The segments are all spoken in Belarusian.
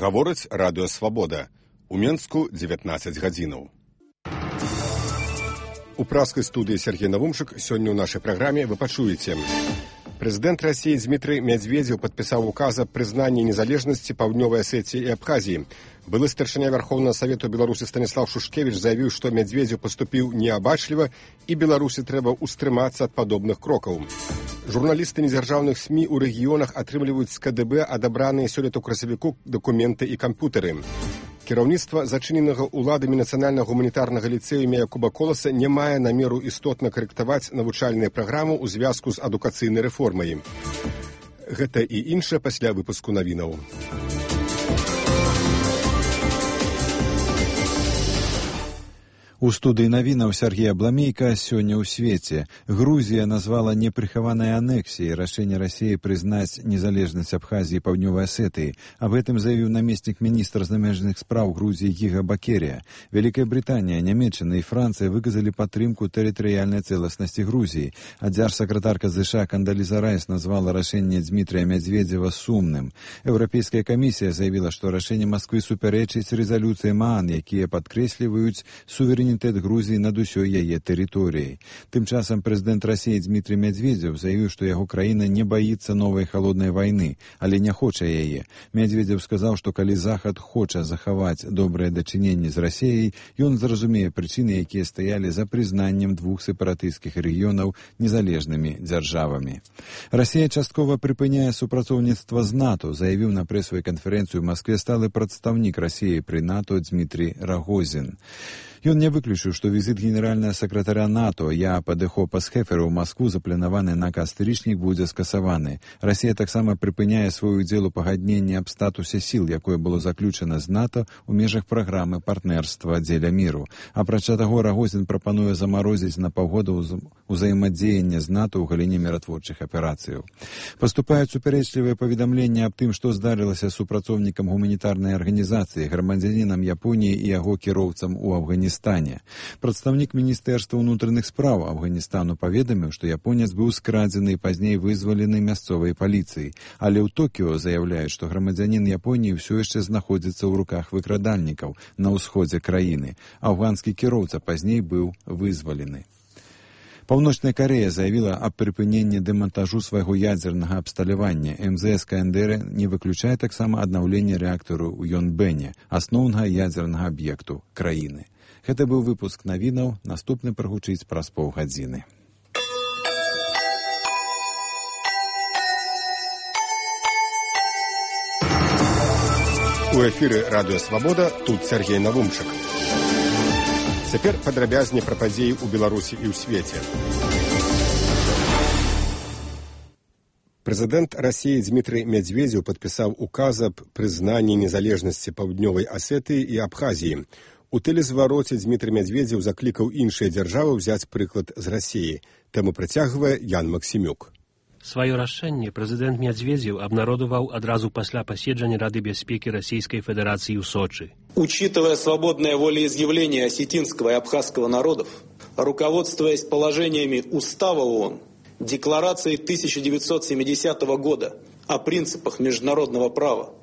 Гаворыць радыё «Свабода». У Менску 19 гадзінаў. У праскай студыі Сергей Навумчык сёння ў нашай праграме вы пачуеце. Прэзідэнт Расіі Дмітрый Медведзеў падпісаў указ аб прызнанні незалежнасці Паўднёвай Асетыі і Абхазіі. Былы старшыня Вярхоўнага Савету Беларусі Станіслав Шушкевіч заявіў, што Медведзеў паступіў неабачліва і Беларусі трэба ўстрымацца ад падобных крокаў. Журналісты недзяржаўных СМІ ў рэгіёнах атрымліваюць з КДБ адабраныя сёлета ў красавіку дакументы і камп'ютары. Кіраўніцтва зачыненага ўладамі нацыянальнага гуманітарнага ліцэю імя Якуба Коласа не мае намеру істотна карэктаваць навучальныя праграмы ў звязку з адукацыйнай рэформай. Гэта і іншае пасля выпуску навінаў. У студыі навінаў Сергей Абламейка сёння ў свеце. Грузія назвала непрыхаванай анексіяй рашэнне Расіі прызнаць незалежнасць Абхазіі і Паўднёвай Асетыі. Аб гэтым заявіў намеснік міністра замежных спраў Грузіі Гіга Бакерія. Вялікая Брытанія, Нямецчына і Францыя выказалі падтрымку тэрытарыяльнай цэласнасці Грузіі. А дзяржсакратарка ЗША Кандаліза Райс назвала рашэнне Дмітрыя Медведзева сумным. Еўрапейская камісія заявіла, што рашэнне Масквы супярэчыць рэзалюцыям ООН, якія падкрэсліваюць суверэнітэт Грузіі над усёй яе тэрыторыяй. Тым часам прэзідэнт Расіі Дмітрый Медведзеў заявіў, што яго краіна не баіцца новай халоднай вайны, але не хоча яе. Медведзеў сказаў, што калі Захад хоча захаваць добрае дачыненне з Расіяй, ён зразумее прычыны, якія стаялі за прызнаннем двух сепаратысцкіх рэгіёнаў незалежнымі дзяржавамі. Расія часткова прыпыняе супрацоўніцтва з НАТО, заявіў на прэсавай канферэнцыі ў Маскве сталы прадстаўнік Расіі пры НАТО Дмітрий Рагозін. Ён не выключыў, што візіт генеральнага сакратаря НАТО Яапа де Хопа-Схефера ў Маскву, запланаваны на кастрычнік, будзе скасаваны. Расія таксама прыпыняе свой удзел у пагадненні аб статусе сіл, якое было заключана з НАТО ў межах праграмы партнерства дзеля міру. Апрача таго, Рагозін прапануе замарозіць на паўгода ўзаемадзеянне з НАТО ў галіне міратворчых аперацыяў. Паступаюць супярэчлівыя паведамленні аб тым, што здарылася супрацоўнікам гуманітарнай арганізацыі, грамадзянінам Японіі і яго кіроўцам у Афганістане. Прадстаўнік міністэрства ўнутраных спраў Афганістану паведаміў, што японец быў скрадзены і пазней вызвалены мясцовай паліцыяй. Але ў Токіо заяўляюць, што грамадзянін Японіі ўсё яшчэ знаходзіцца ў руках выкрадальнікаў на ўсходзе краіны. Афганскі кіроўца пазней быў вызвалены. Паўночная Карэя заявіла аб прыпыненні дэмантажу свайго ядзернага абсталявання. МЗС КНДР не выключае таксама аднаўленне рэактару ў Йонбэне, асноўнага ядзернага аб'екту краіны. Гэта быў выпуск навінаў, наступны прагучыць праз паўгадзіны. У эфіры радыё «Свабода», тут Сергей Навумчык. Цяпер падрабязней пра падзеі ў Беларусі і ў свеце. Прэзідэнт Расіі Дмітрый Медведзеў падпісаў указ аб прызнанні незалежнасці Паўднёвай Асетыі і Абхазіі. У тэлезвароце Дмітрый Медведзеў заклікаў іншыя дзяржавы ўзяць прыклад з Расіі. Тэму працягвае Ян Максімюк. Сваё рашэнне прэзідэнт Медведзеў абнародаваў адразу пасля паседжання Рады бяспекі Расійскай Федэрацыі ў Сочи. Учитывая свободное волеизъявление осетинского и абхазского народов, руководствуясь положениями Устава ООН, Декларацией 1970 года о принципах международного права,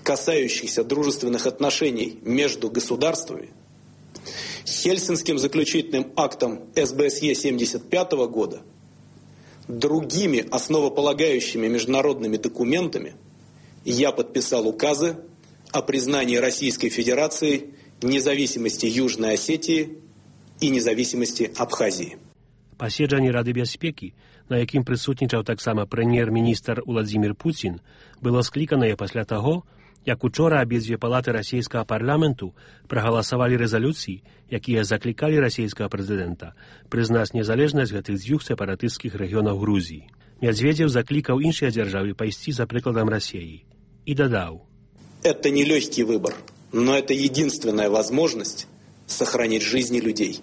касающихся дружественных отношений между государствами, Хельсинским заключительным актом СБСЕ 1975 года, другими основополагающими международными документами, я подписал указы о признании Российской Федерации независимости Южной Осетии и независимости Абхазии. Паседжанне Рады бяспекі, на якім прысутнічаў таксама прэм'ер-міністр Уладзімір Пуцін, было скліканае пасля таго, як учора абедзве палаты расійскага парламенту прагаласавалі рэзалюцыі, якія заклікалі расійскага прэзідэнта прызнаць незалежнасць гэтых дзвюх сепаратысцкіх рэгіёнаў Грузіі. Медведзеў заклікаў іншыя дзяржавы пайсці за прыкладам Расіі і дадаў: Это не легкий выбор, но это единственная возможность сохранить жизни людей.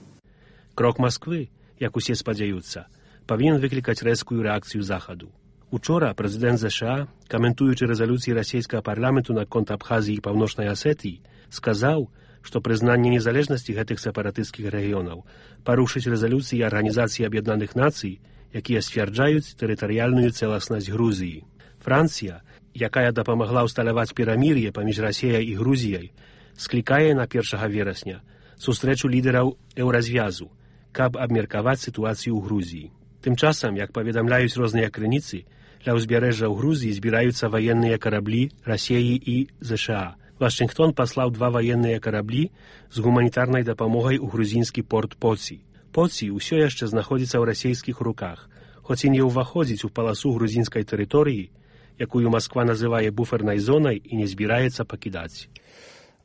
Крок Масквы, як усе спадзяюцца, павінен выклікаць рэзкую рэакцыю Захаду. Учора прэзідэнт ЗША, каментуючы рэзалюцыі расійскага парламенту наконт Абхазіі і Паўночнай Асетыі, сказаў, што прызнанне незалежнасці гэтых сепаратысцкіх рэгіёнаў парушыць рэзалюцыі Арганізацыі Аб'яднаных Нацый, якія сцвярджаюць тэрытарыяльную цэласнасць Грузіі. Францыя якая дапамагла ўсталяваць перамір'е паміж Расіяй і Грузіяй, склікае на 1 верасня сустрэчу лідараў еўразвязу, каб абмеркаваць сітуацыю ў Грузіі. Тым часам, як паведамляюць розныя крыніцы, ля ўзбярэжжа ў Грузіі збіраюцца ваенныя караблі Расіі і ЗША. Вашингтон паслаў 2 ваенныя караблі з гуманітарнай дапамогай у грузінскі порт Поці. Поці ўсё яшчэ знаходзіцца ў расійскіх руках, хоць і не ўваходзіць у паласу грузінскай тэрыторыі, якую Масква называе буфернай зонай і не збіраецца пакідаць.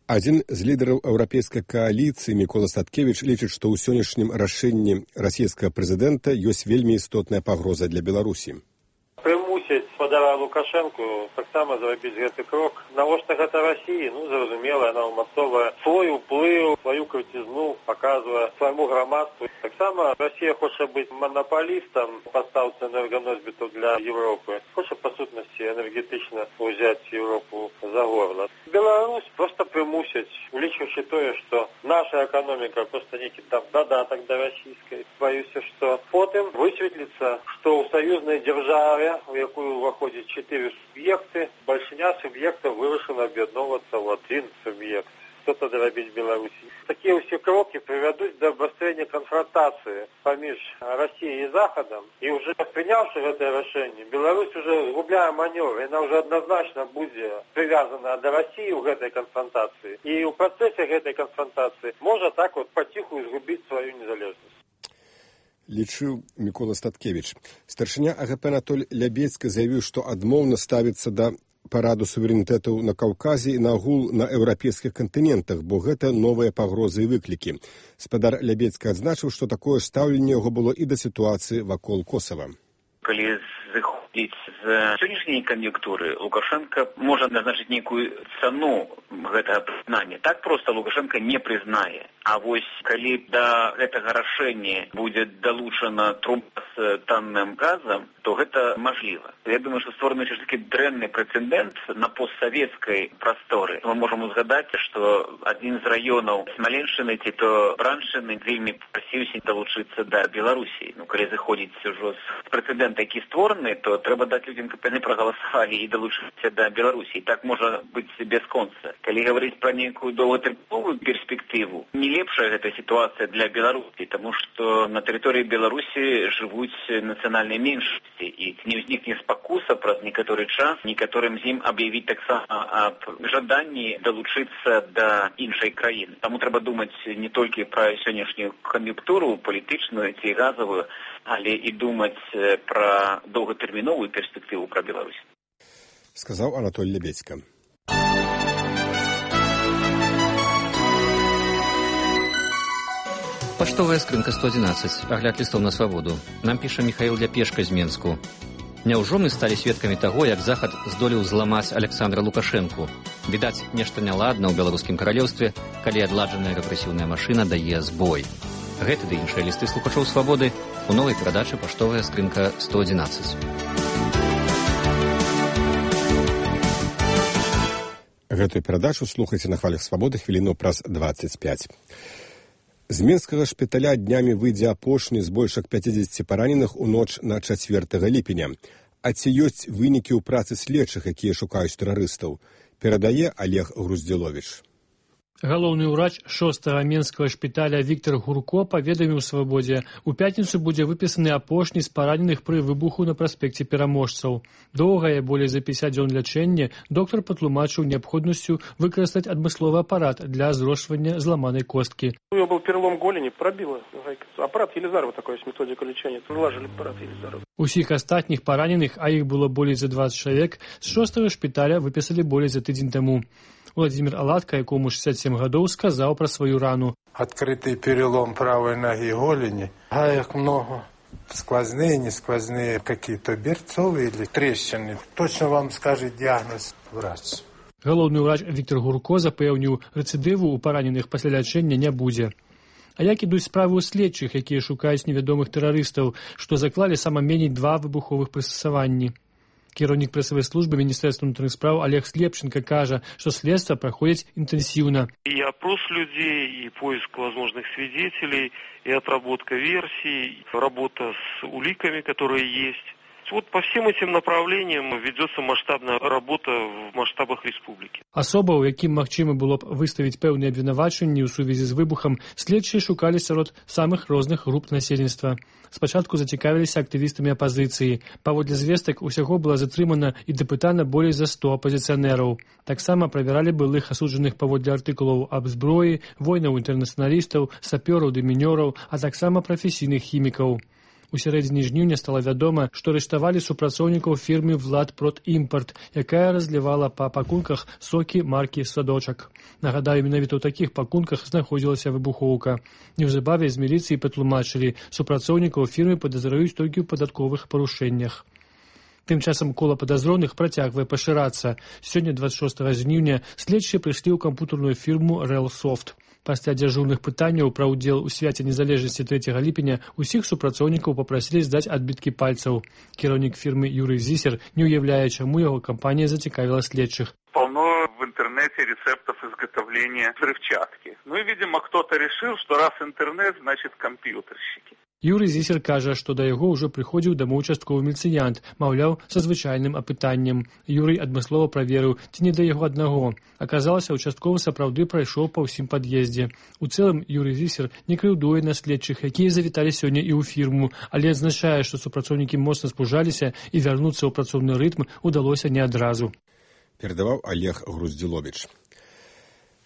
Адзін з лідараў еўрапейскай кааліцыі Мікола Статкевіч лічыць, што ў сённяшнім рашэнні расійскага прэзідэнта ёсць вельмі істотная пагроза для Беларусі. Прымусіць спадара Лукашэнку таксама зрабіць гэты крок. Навошта гэта Расіі? Зразумела, яна ўмацоўвае свой уплыў, сваю крыцізну, паказвае свайму грамадству. Таксама Расія хоча быць манапалістам пастаўцы энерганосьбітаў для Европы. Хоча, па сутнасці, энергетычна ўзяць Европу за горла. Беларусь проста прымусіць, улічваючы тое, што наша эканоміка проста нейкі там дадатак да расійскай. Баюся, што потым высветліцца, што ў саюзнай дзяржаве, у якую ўваходзіць 4 суб'екты, бальшыня суб'ектаў вырашана аб'ядноўвацца ў адзін суб'ект. Што тады рабіць Беларусі? Такія ўсе крокі прывядуць да абвастрэння канфронтацыі паміж Расіяй і Захадам. І ўжо прыняўшы гэтае рашэнне, Беларусь уже згубляе манёвр. Яна ўжо адназначна будзе прывязана да Расіі ў гэтай канфронтацыі. І ў працэсе гэтай канфронтацыі можа так паціху згубіць сваю незалежнасць. Лічыў Мікола Статкевіч. Старшыня АГП Анатоль Лябедзька заявіў, што адмоўна ставіцца да параду суверэнітэтаў на Каўказе і нагул на еўрапейскіх кантынентах, бо гэта новыя пагрозы і выклікі. Спадар Лябедзька адзначыў, што такое стаўленне яго было і да сітуацыі вакол Косава. Калі зыходзіць з сённяшняй кан'юнктуры, Лукашенко можа назначыць нейкую цану гэтага прызнання. Так проста Лукашенко не прызнае. А вось калі да гэтага рашэння будзе далучана труба з танным газам, то гэта мажліва. Я думаю, што створаны такі дрэнны прэцэдэнт на постсавецкай прасторы. Мы можам узгадаць, што адзін з раёнаў Смаленшчыны ці то Браншчыны вельмі прасіўся далучыцца да Беларусі. Калі заходзіць ужо з прэцэдэнта, які створаны, то трэба даць людзям, каб яны прагаласавалі і далучыцца да Беларусі. І так можа быць бясконца. Калі гаварыць пра нейкую доўгатэрміновую перспектыву, не лепшая гэта сітуацыя для Беларусі, таму што на тэрыторыі Беларусі жывуць нацыянальныя меншасці, і не ўзнікне спакуса праз некаторы час некаторым з ім аб'явіць таксама аб жаданні далучыцца да іншай краіны. Таму трэба думаць не толькі пра сённяшнюю кан'юнктуру палітычную ці газавую, але і думаць пра доўгатэрміновую перспектыву пра Беларусь. Сказаў Анатоль Лябедзька. Паштовая скрынка 111. Агляд лістоў на свабоду. Нам піша Міхаіл Ляпешка з Менску. Няўжо мы сталі сведкамі таго, як Захад здолеў зламаць Александра Лукашэнку? Відаць, нешта няладна ў беларускім каралеўстве, калі адладжаная рэпрэсіўная машына дае збой. Гэты ды іншыя лісты слухачоў свабоды у новай перадачы «Паштовая скрынка 111». Гэтую перадачу слухайце на хвалях свабоды хвіліну праз 25. З мінскага шпіталя днямі выйдзе апошні з больш як 50 параненых у ноч на 4 ліпеня. А ці ёсць вынікі ў працы следчых, якія шукаюць тэрарыстаў? Перадае Олег Груздзіловіч. Галоўны ўрач 6-го менскага шпіталя Віктор Гурко паведаміў свабодзе, у пятніцу будзе выпісаны апошні з параненых пры выбуху на праспекце Пераможцаў. Доўгае, болей за 50 дзён лячэння, доктар патлумачыў неабходнасцю выкарыстаць адмысловы апарат для зрошвання зламанай косткі. У него был перелом голени, пробило. Аппарат Елизарова такой есть, методика лечения. Вложили аппарат Елизарова. Усіх астатніх параненых, а іх было болей за 20 чалавек, з 6-го шпіталя выпісалі болей за тыдзень таму. Владимир Аладка, якому 67 гадоў, сказаў пра сваю рану. Открытый перелом правой ноги голени. Гаек много. Сквозные, не сквозные, какие-то берцовые или трещины. Точно вам скажет диагноз врач. Галоўны ўрач Віктор Гурко запэўніў, рэцыдыву ў параненых пасля лячэння не будзе. А як ідуць справы ў следчых, якія шукаюць невядомых тэрарыстаў, што заклалі сама меней 2 выбуховых прыстасаванні? Кіраўнік прэсавай службы Міністэрства ўнутраных спраў Олег Слепченко кажа, што следства праходзіць інтэнсіўна. И опрос людей, и поиск возможных свидетелей, и отработка версий, работа с уликами, которые есть. вот по всем этим направлениям ведется масштабная работа в масштабах республики. Асоба, у якім магчыма было б выставіць пэўныя абвінавачанні ў сувязі з выбухам, следчыя шукалі сярод самых розных груп насельніцтва. Спачатку зацікавіліся актывістамі апазіцыі. Паводле звестак, усяго было затрымана і дапытана болей за 100 апазіцыянераў. Таксама правяралі былых асуджаных паводле артыкулаў аб зброі, войнаў інтэрнацыяналістаў, сапёраў, дэмінёраў, а таксама прафесійных хімікаў. У сярэдзіне жніўня стала вядома, што арыштавалі супрацоўнікаў фірмы «Владпродімпорт», якая разлівала па пакунках сокі маркі «Садочак». Нагадаю, менавіта ў такіх пакунках знаходзілася выбухоўка. Неўзабаве з міліцыі патлумачылі, супрацоўнікаў фірмы падазраюць толькі ў падатковых парушэннях. Тым часам кола падазроных працягвае пашырацца. Сёння, 26 жніўня, следчыя прыйшлі ў кампутарную фірму «Рэлсофт». Пасля дзяжурных пытанняў пра ўдзел у свяце незалежнасці 3 ліпеня усіх супрацоўнікаў папрасілі здаць адбіткі пальцаў. Кіраўнік фірмы Юрый Зисер не уяўляе, чаму яго кампанія зацікавіла следчых. Полно в интернете рецептов изготовления взрывчатки. Ну и, видимо, кто-то решил, что раз интернет, значит компьютерщики. Юрый Зисер кажа, што да яго ўжо прыходзіў дамоў участковы міліцыянт, маўляў, са звычайным апытаннем. Юрый адмыслова праверыў, ці не да яго аднаго. Аказалася, участковы сапраўды прайшоў па ўсім пад'ездзе. У цэлым Юрый Зисер не крыўдуе на следчых, якія завіталі сёння і ў фірму, але адзначае, што супрацоўнікі моцна спужаліся і вярнуцца ў працоўны рытм удалося не адразу. Перадаваў Олег Груздзіловіч.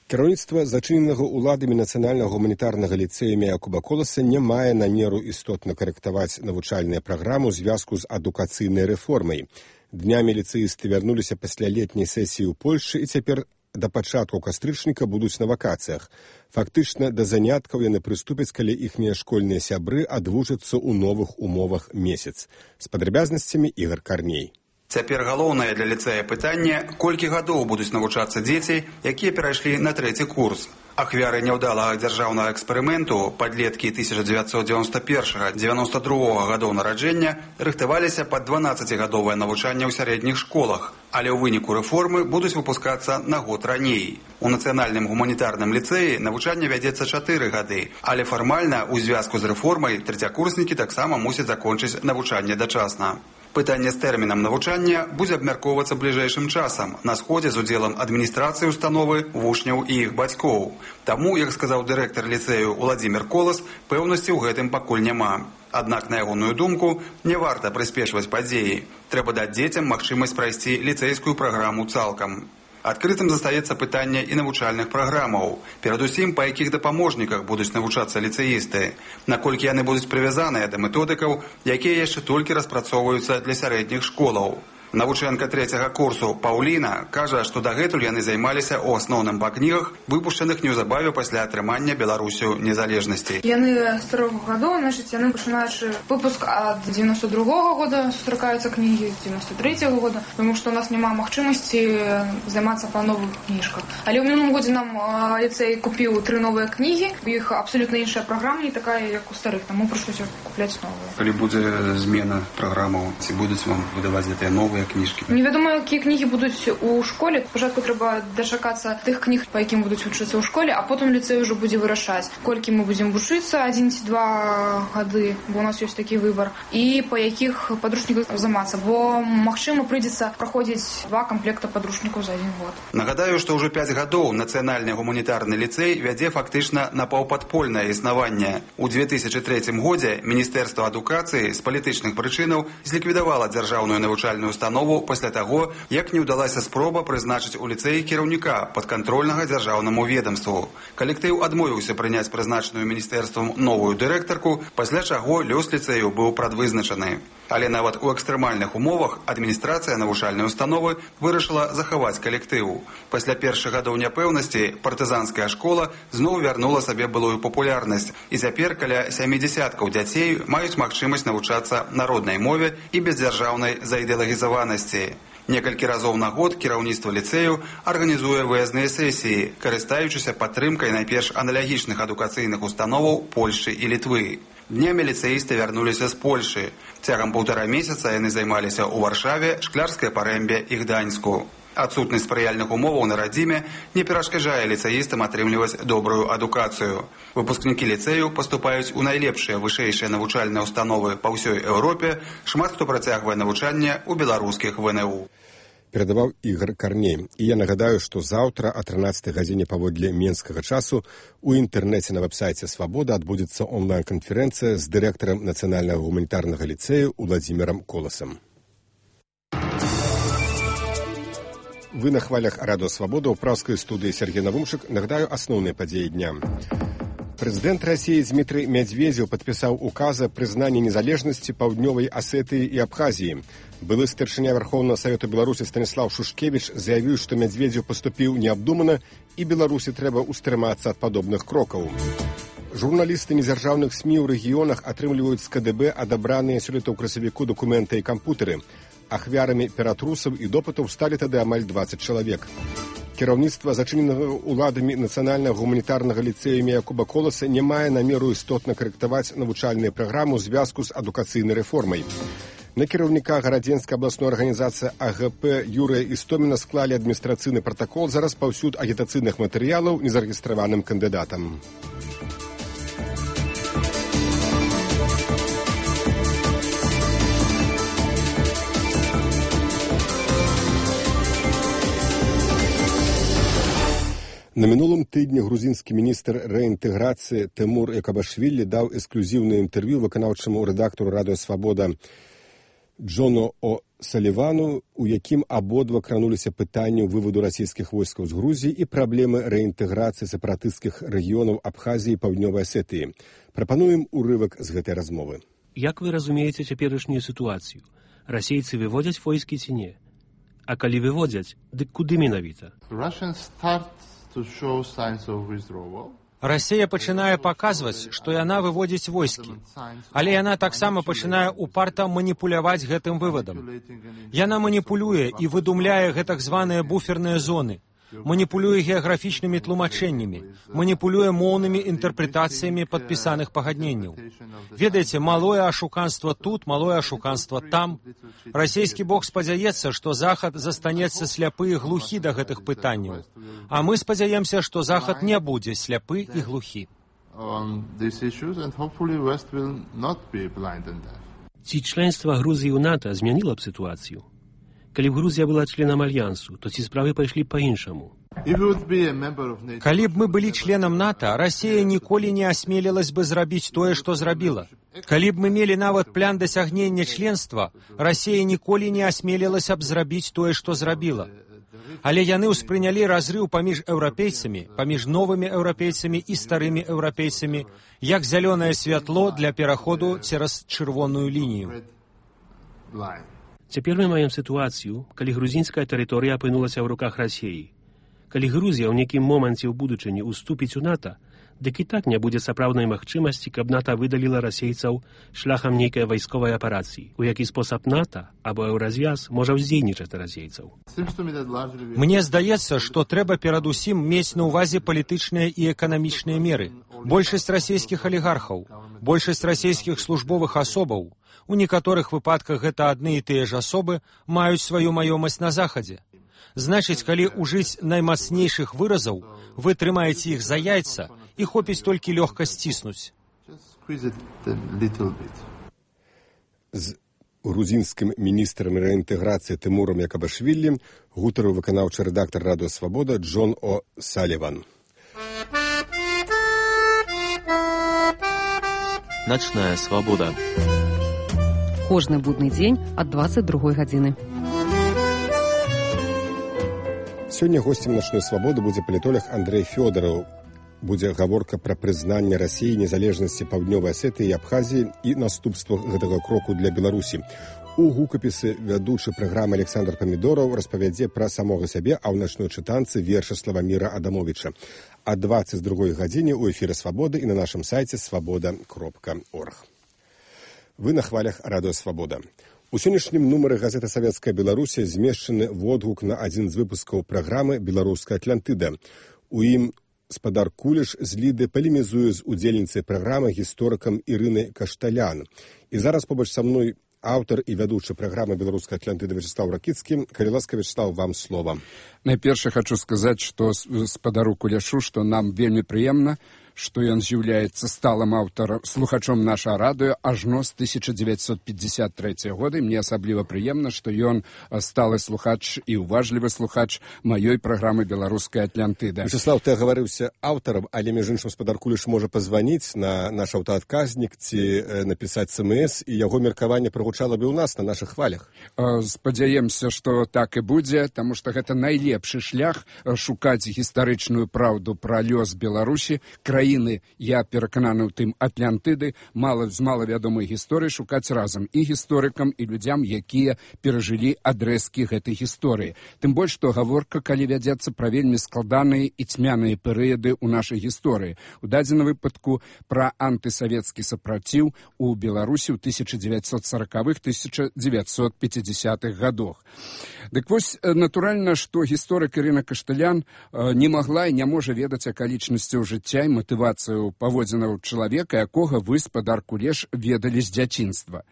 Кіраўніцтва зачыненага ўладамі нацыянальнага гуманітарнага ліцэя імя Якуба Коласа не мае намеру істотна карэктаваць навучальную праграму ў звязку з адукацыйнай рэформай. Днямі ліцэісты вярнуліся пасля летняй сесіі ў Польшчы і цяпер да пачатку кастрычніка будуць на вакацыях. Фактычна, да заняткаў яны прыступяць, калі іхнія школьныя сябры адвучацца ў новых умовах месяц. З падрабязнасцямі Ігор Карней. Цяпер галоўнае для ліцэя пытанне, колькі гадоў будуць навучацца дзеці, якія перайшлі на 3 курс. Ахвяры няўдалага дзяржаўнага эксперыменту, падлеткі 1991-92 гадоў нараджэння, рыхтаваліся пад 12-гадовае навучанне ў сярэдніх школах, але ў выніку рэформы будуць выпускацца на год раней. У нацыянальным гуманітарным ліцэі навучанне вядзецца 4 гады, але фармальна ў звязку з рэформай трэцякурснікі таксама мусяць закончыць навучанне дачасна. Пытанне з тэрмінам навучання будзе абмяркоўвацца бліжэйшым часам на сходзе з удзелам адміністрацыі установы, вучняў і іх бацькоў. Таму, як сказаў дырэктар ліцэю Уладзімір Колас, пэўнасці ў гэтым пакуль няма. Аднак, на ягоную думку, не варта прыспешваць падзеі. Трэба даць дзецям магчымасць прайсці ліцэйскую праграму цалкам. Адкрытым застаецца пытанне і навучальных праграмаў, перадусім па якіх дапаможніках будуць навучацца ліцэісты, наколькі яны будуць прывязаныя да методыкаў, якія яшчэ толькі распрацоўваюцца для сярэдніх школаў. Навучэнка 3 курсу Паўліна кажа, што дагэтуль яны займаліся ў асноўным па кнігах, выпушчаных неўзабаве пасля атрымання Беларусю незалежнасці. Яны з 3 гадоў, значыць, яны пачынаючы выпуск ад 92-го года сустракаюцца кнігі, з 93-го года, тому што у нас няма магчымасці займацца па новых кніжках. Але ў мінулым годзе нам ліцэй купіў 3 новыя кнігі, у іх абсалютна іншая праграма, не такая, як у старых, таму прыйшлося купляць новыя. Калі будзе змена праграмаў, ці будуць вам выдаваць гэтыя новыя кніжкі? Невядома, якія кнігі будуць у школе. Спачатку трэба дачакацца тых кніг, па якім будуць вучыцца ў школе, а потым ліцэй ўжо будзе вырашаць, колькі мы будзем вучыцца, 1 ці 2 гады, бо у нас ёсць такі выбар, і па якіх падручніках займацца, бо, магчыма, прыйдзецца праходзіць 2 камплекта падручнікаў за 1 год. Нагадаю, што ўжо 5 гадоў нацыянальны гуманітарны ліцэй вядзе фактычна напаўпадпольнае існаванне. У 2003 годзе Міністэрства адукацыі з палітычных прычынаў зліквідавала дзяржаўную навучальную установу пасля таго, як не ўдалася спроба прызначыць у ліцэі кіраўніка падкантрольнага дзяржаўнаму ведамству. Калектыў адмовіўся прыняць прызначаную міністэрствам новую дырэктарку, пасля чаго лёс ліцэю быў прадвызначаны. Але нават у экстрэмальных умовах адміністрацыя навучальнай установы вырашыла захаваць калектыў. Пасля першых гадоў няпэўнасці партызанская школа зноў вярнула сабе былую папулярнасць, і цяпер каля 70 дзяцей маюць магчымасць навучацца на роднай мове і без дзяржаўнай заідэалагізаванасці. Некалькі разоў на год кіраўніцтва ліцэю арганізуе выязныя сесіі, карыстаючыся падтрымкай найперш аналагічных адукацыйных установаў Польшчы і Літвы. Днямі ліцэісты вярнуліся з Польшы. Цягам 1,5 месяца яны займаліся ў Варшаве, Шклярскай Парэмбе і Гданьску. Адсутнасць спрыяльных умоваў на радзіме не перашкаджае ліцэістам атрымліваць добрую адукацыю. Выпускнікі ліцэю паступаюць у найлепшыя вышэйшыя навучальныя установы па ўсёй Еўропе, шмат хто працягвае навучанне ў беларускіх ВНУ. Перадаваў Ігор Карней. І я нагадаю, што заўтра о 13 гадзіне паводле менскага часу у інтэрнэце на вэб-сайце «Свабода» адбудзецца онлайн-канферэнцыя з дырэктарам Нацыянальнага гуманітарнага ліцэю Уладзімірам Коласам. Вы на хвалях Радио Свобода, у праўскай студыі Сергей Навумшык. Нагадаю асноўныя падзеі дня. Прэзідэнт Расіі Дмітрый Медведзеў падпісаў указ о прызнанні незалежнасці Паўднёвай Асетыі і Абхазіі. Былы старшыня Верховнага Савету Беларусі Станіслав Шушкевіч заявіў, што Медведзеў паступіў неабдумана і Беларусі трэба устрымацца ад падобных крокаў. Журналісты незяржаўных СМІ ў рэгіёнах атрымліваюць з КДБ адабраныя сёлета ў красавіку дакументы і кампутары. Ахвярамі ператрусаў і допытаў сталі тады амаль 20 чалавек. Кіраўніцтва зачыненага ўладамі Нацыянальнага гуманітарнага ліцэя імя Якуба Коласа не мае намеру істотна карэктаваць навучальную праграму ў звязку з адукацыйнай рэформай. На кіраўніка гарадзенскай абласной арганізацыі АГП Юрыя Істоміна склалі адміністрацыйны пратакол за распаўсюд агітацыйных матэрыялаў незарэгістраваным кандыдатам. На мінулым тыдні грузінскі міністр рэінтэграцыі Тэмур Экабашвілі даў эксклюзіўнае інтэрв'ю выканаўчаму рэдактару Радыё Свабода Джону О'Салівану, у якім абодва крануліся пытанню выводу расійскіх войскаў з Грузіі і праблемы рэінтэграцыі сепаратысцкіх рэгіёнаў Абхазіі і Паўднёвай Асетыі. Прапануем урывак з гэтай размовы. Як вы разумееце цяперашнюю сітуацыю? Расейцы выводзяць войскі ці не? А калі выводзяць, дык куды менавіта? Расія пачынае паказваць, што яна выводзіць войскі, але яна таксама пачынае упарта маніпуляваць гэтым вывадам. Яна маніпулюе і выдумляе гэтак званыя буферныя зоны, маніпулюе геаграфічнымі тлумачэннямі, маніпулюе моўнымі інтэрпрэтацыямі падпісаных пагадненняў. Ведаеце, малое ашуканства тут, малое ашуканства там. Расійскі бок спадзяецца, што Захад застанецца сляпы і глухі да гэтых пытанняў. А мы спадзяемся, што Захад не будзе сляпы і глухі. Ці членства Грузіі ў НАТО змяніла б сітуацыю? Калі б Грузія была членам альянсу, то ці справы пайшлі па-іншаму? Калі б мы былі членам НАТО, Расія ніколі не асмелілась бы зрабіць тое, што зрабіла. Калі б мы мелі нават план дасягнення членства, Расія ніколі не асмелілася б зрабіць тое, што зрабіла. Але яны ўспрынялі разрыў паміж еўрапейцамі, паміж новымі еўрапейцамі і старымі еўрапейцамі, як зялёнае святло для пераходу цераз чырвоную лінію. Цяпер мы маем сітуацыю, калі грузінская тэрыторыя апынулася ў руках Расіі. Калі Грузія ў нейкім моманце ў будучыні уступіць у НАТО, дык і так не будзе сапраўднай магчымасці, каб НАТО выдаліла расейцаў шляхам нейкай вайсковай аперацыі, у які спосаб НАТО або Еўразвяз можа ўздзейнічаць на расейцаў. Мне здаецца, што трэба перадусім мець на ўвазе палітычныя і эканамічныя меры. Большасць расійскіх алігархаў, большасць расійскіх службовых асобаў, у некаторых выпадках гэта адны і тыя ж асобы, маюць сваю маёмасць на Захадзе. Значыць, калі ўжыць наймацнейшых выразаў, вы трымаеце іх за яйца і хопіць толькі лёгка сціснуць. З грузінскім міністрам рэінтэграцыі Тэмурам Якабашвілі гутарыў выканаўчы рэдактар Радыё Свабода Джон О'Саліван. Начная свабода. Кожны будны дзень ад 22 гадзіны. Сёння госцем начной свабоды будзе палітолог Андрэй Фёдараў. Будзе гаворка пра прызнанне Расіі незалежнасці Паўднёвай Асетыі і Абхазіі і наступствах гэтага кроку для Беларусі. У гукапісы вядучы праграмы Александр Памідораў распавядзе пра самога сябе, а ў начной чытанцы верша Славаміра Адамовіча. А 22 гадзіне ў эфіры Свабоды і на нашым сайце свабода.орг. Вы на хвалях Радыё Свабода. У сённяшнім нумары газеты «Савецкая Беларусі» змешчаны водгук на адзін з выпускаў праграмы «Беларуская Атлантыда». У ім спадар Куліш з Ліды палемізуе з удзельніцай праграмы гісторыкам Ірынай Кашталян. І зараз побач са мной Аўтар і вядучы праграмы «Беларуская Атлантыда» Вячеслав Ракіцкі. Калі ласка, Вячеслав, вам слова. Найперш хочу сказаць, што спадару Куляшу, што нам вельмі прыемна, што ён з'яўляецца сталым аўтарам, слухачом нашага радыё ажно з 1953 года. Мне асабліва прыемна, што ён сталы слухач і уважлівы слухач маёй праграмы «Беларуская Атлантыда». Вячеслав, ты гаварыўся аўтарам, але, між іншым, спадар Куліш можа пазваніць на наш аўтаадказнік ці напісаць СМС, і яго меркаванне прагучала бы ў нас на нашых хвалях. Спадзяемся, што так і будзе, таму што гэта найлепшы шлях шукаць гістарычную праўду пра лёс Беларусі, краіны, я перакананы ў тым, Атлантыды, з малавядомай гісторыі шукаць разам і гісторыкам, і людзям, якія перажылі адрэзкі гэтай гісторыі. Тым больш, што гаворка, калі вядзецца пра вельмі складаныя і цьмяныя перыяды ў нашай гісторыі. У дадзеным выпадку пра антысавецкі сапраціў у Беларусі ў 1940-1950-х гадах. Дык вось, натуральна, што гісторык Ірына Кашталян не магла і не можа ведаць акалічнасцяў жыцця і матывацыю паводзінаў чалавека, якога вы, спадар Кулеш, ведалі з дзяцінства.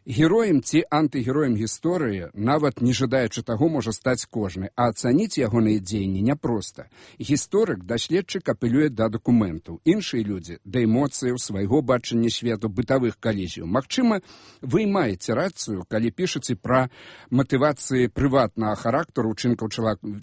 Героем ці антыгероем гісторыі, нават не жадаючы таго, можа стаць кожны, а ацаніць ягоныя дзеянні няпроста. Гісторык, даследчык апелюе да дакументаў. Іншыя людзі да эмоцыяў, свайго бачання свету, бытавых калізіяў. Магчыма, вы маеце рацыю, калі пішаце пра матывацыі прыватнага характару ўчынкаў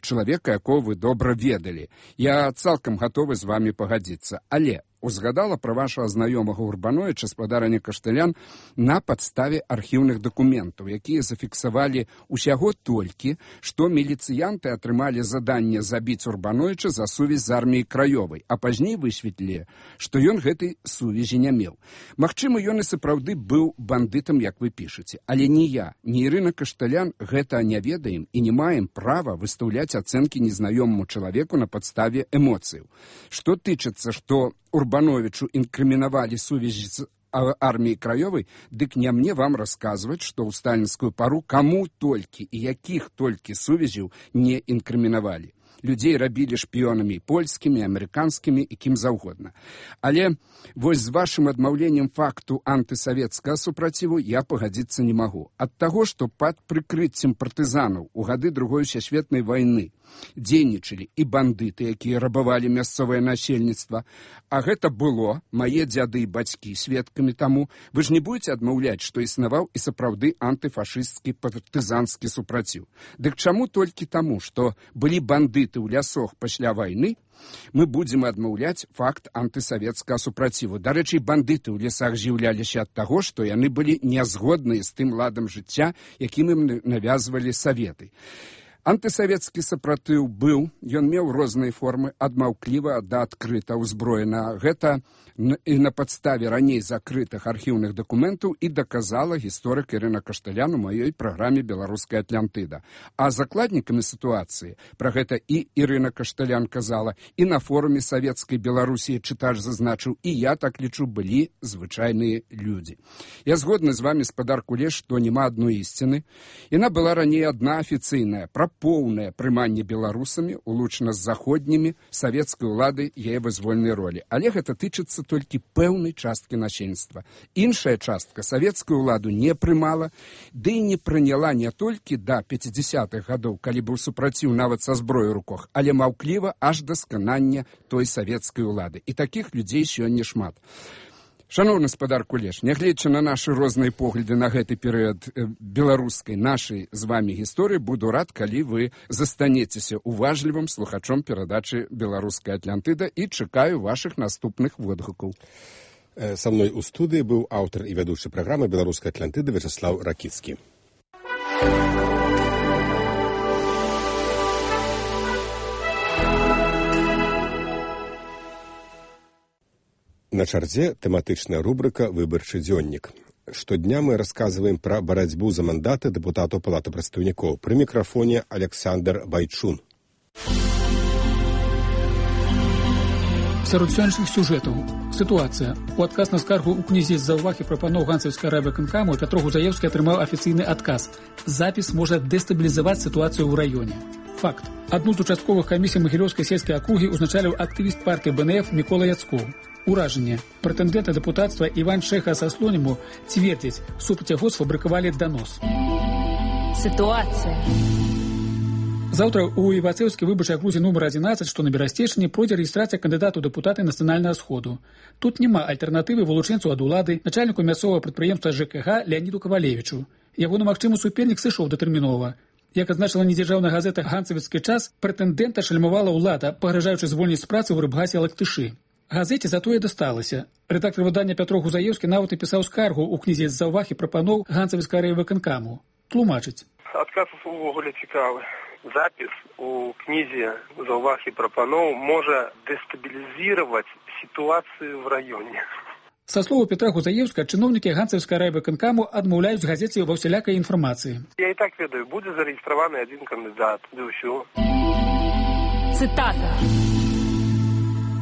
чалавека, якого вы добра ведалі. Я цалкам гатовы з вамі пагадзіцца. Але узгадала пра вашага знаёмага Урбановича, спадарыня Кашталян, на падставе архіўных дакументаў, якія зафіксавалі усяго толькі, што міліцыянты атрымалі заданне забіць Урбановича за сувязь з арміяй краёвай, а пазней высветлілі, што ён гэтай сувязі не меў. Магчыма, ён і сапраўды быў бандытам, як вы пішаце, але ні я, ні Ірына Кашталян гэта не ведаем і не маем права выстаўляць ацэнкі незнаёмаму чалавеку на падставе эмоцыяў. Што тычыцца, што Урбановичу інкрымінавалі сувязі з арміяй краёвай, дык не мне вам расказваць, што ў сталінскую пару каму толькі і якіх толькі сувязяў не інкрымінавалі. Людзей рабілі шпіёнамі польскімі, амерыканскімі і кім заўгодна. Але вось з вашым адмаўленнем факту антысавецкага супраціву я пагадзіцца не магу. Ад таго, што пад прыкрыццем партызанаў у гады Другой сусветнай вайны дзейнічалі і бандыты, якія рабавалі мясцовае насельніцтва, а гэта было, мае дзяды і бацькі сведкамі таму, вы ж не будзеце адмаўляць, што існаваў і сапраўды антыфашысцкі партызанскі супраціў. Дык чаму толькі таму, што былі бандыты ў лясах пасля вайны, мы будзем адмаўляць факт антысавецкага супраціву. Дарэчы, бандыты ў лясах з'яўляліся ад таго, што яны былі нязгодныя з тым ладам жыцця, якім ім навязвалі саветы. Антысавецкі сапраціў быў, ён меў розныя формы, ад маўкліва да адкрыта ўзброена. Гэта і на падставе раней закрытых архіўных дакументаў і даказала гісторык Ірына Кашталян у маёй праграме «Беларуская Атлантыда». А закладнікамі сітуацыі, пра гэта і Ірына Кашталян казала, і на форуме савецкай Беларусі чытач зазначыў, і я так лічу, былі звычайныя людзі. Я згодны з вамі, спадар Кулеш, што няма адной ісціны. Яна была раней адна афіцыйная, пра поўнае прыманне беларусамі, улучна з заходнімі, савецкай улады яе вызвольнай ролі. Але гэта тычыцца толькі пэўнай часткі насельніцтва. Іншая частка савецкую ўладу не прымала, ды і не прыняла не толькі да 50-х гадоў, калі быў супраціў нават са зброёй у руках, але маўкліва аж да сканання той савецкай улады. І такіх людзей сёння шмат. Шановны спадар Кулеш, нягледзячы на нашы розныя погляды на гэты перыяд беларускай нашай з вамі гісторыі, буду рад, калі вы застанецеся уважлівым слухачом перадачы «Беларуская Атлантыда» і чакаю вашых наступных водгукаў. Са мной у студыі быў аўтар і вядучы праграмы «Беларуская Атлантыда» Вячеслав Ракіцкі. На чарзе тэматычная рубрыка «Выбарчы дзённік». Штодня мы расказваем пра барацьбу за мандаты дэпутатаў Палаты прадстаўнікоў. Пры мікрафоне Александр Байчун. Сярод сённяшніх сюжэтаў. Сітуацыя. У адказ на скаргу ў кнізе з-за ўваг і прапаноў ганцаўскай райвыканкаму Пятро Гузаевскі атрымаў афіцыйны адказ. Запіс можа дэстабілізаваць сітуацыю ў раёне. Факт. Адну з участковых камісій Магілёўскай сельскай акругі узначаліў актывіст партыі БНФ Мікола Яцкоў. Уражанне. Прэтэндэнт на дэпутацтва Іван Шэха са Слоніму цвердзіць, супраць яго сфабрыкавалі данос. Ситуация. Заўтра у Івацэўскай выбарчай акрузе нумар 11, што на Берасцейшчыне, пройдзе рэгістрацыя кандыдата ў дэпутаты Нацыянальнага сходу. Тут няма альтэрнатывы вылучэнцу ад улады, начальніку мясцовага прадпрыемства ЖКХ Леаніду Кавалевічу. Ягоны магчымы супернік сышоў датэрмінова. Як адзначыла недзяржаўная газета «Ганцавіцкі час», прэтэндэнта шальмавала ўлада, пагражаючы звольніць з працы ў рыбгасе Лактышы. Газеце затое дасталася. Рэдактар выдання Пятро Гузаеўскі нават напісаў скаргу ў кнізе з заўваг і прапаноў Ганцавіцкага райвыканкаму. Тлумачыць. Адказ увогуле цікавы. Запіс у кнізе заўваг і прапаноў можа дэстабілізировать ситуацию в районе. Са слову Петра Гузаеўска, чыноўнікі Ганцавіцкага райвыканкаму адмаўляюць газеце ва ўсялякай інфармацыі. Я і так ведаю, будзе зарэгістраваны адзін кандыдат, да ўсё. Цытата.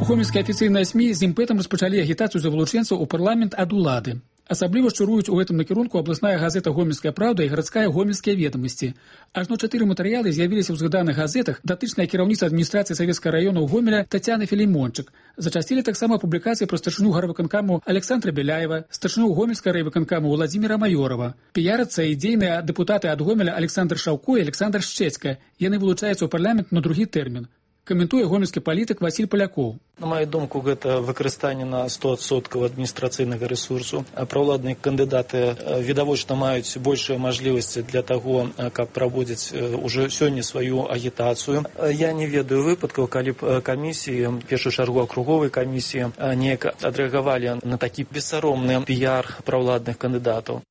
Гомельскія афіцыйныя СМІ з імпэтам распачалі агітацыю за вылучэнцаў у парламент ад улады. Асабліва шчыруюць у гэтым накірунку абласная газета «Гомельская правда» і гарадская «Гомельскія ведамасці». Ажно 4 матэрыялы з'явіліся ў згаданых газетах, датычная кіраўніца адміністрацыі Савецкага раёна ў Гомеля Тацяны Філімончык. Зачасцілі таксама публікацыі пра старшыню гарвыканкаму Александра Беляева, старшыню Гомельскага райвыканкаму Владзіміра Маёрова. Піярацца і дзейныя дэпутаты ад Гомеля Александр Шаўко і Александр Шчэцька. Яны вылучаюцца ў парламент на другі тэрмін. Каментуе гомельскі палітык Васіль Палякоў. На маю думку, гэта выкарыстанне на 100% адміністрацыйнага рэсурсу. Праўладныя кандыдаты відавочна маюць большыя мажлівасці для таго, каб праводзіць уже сёння сваю агітацыю. Я не ведаю выпадкаў, калі б камісіі, в першую чаргу акруговай камісіі, неяк адрэагавалі на такі бессаромны піяр праўладных кандыдатаў.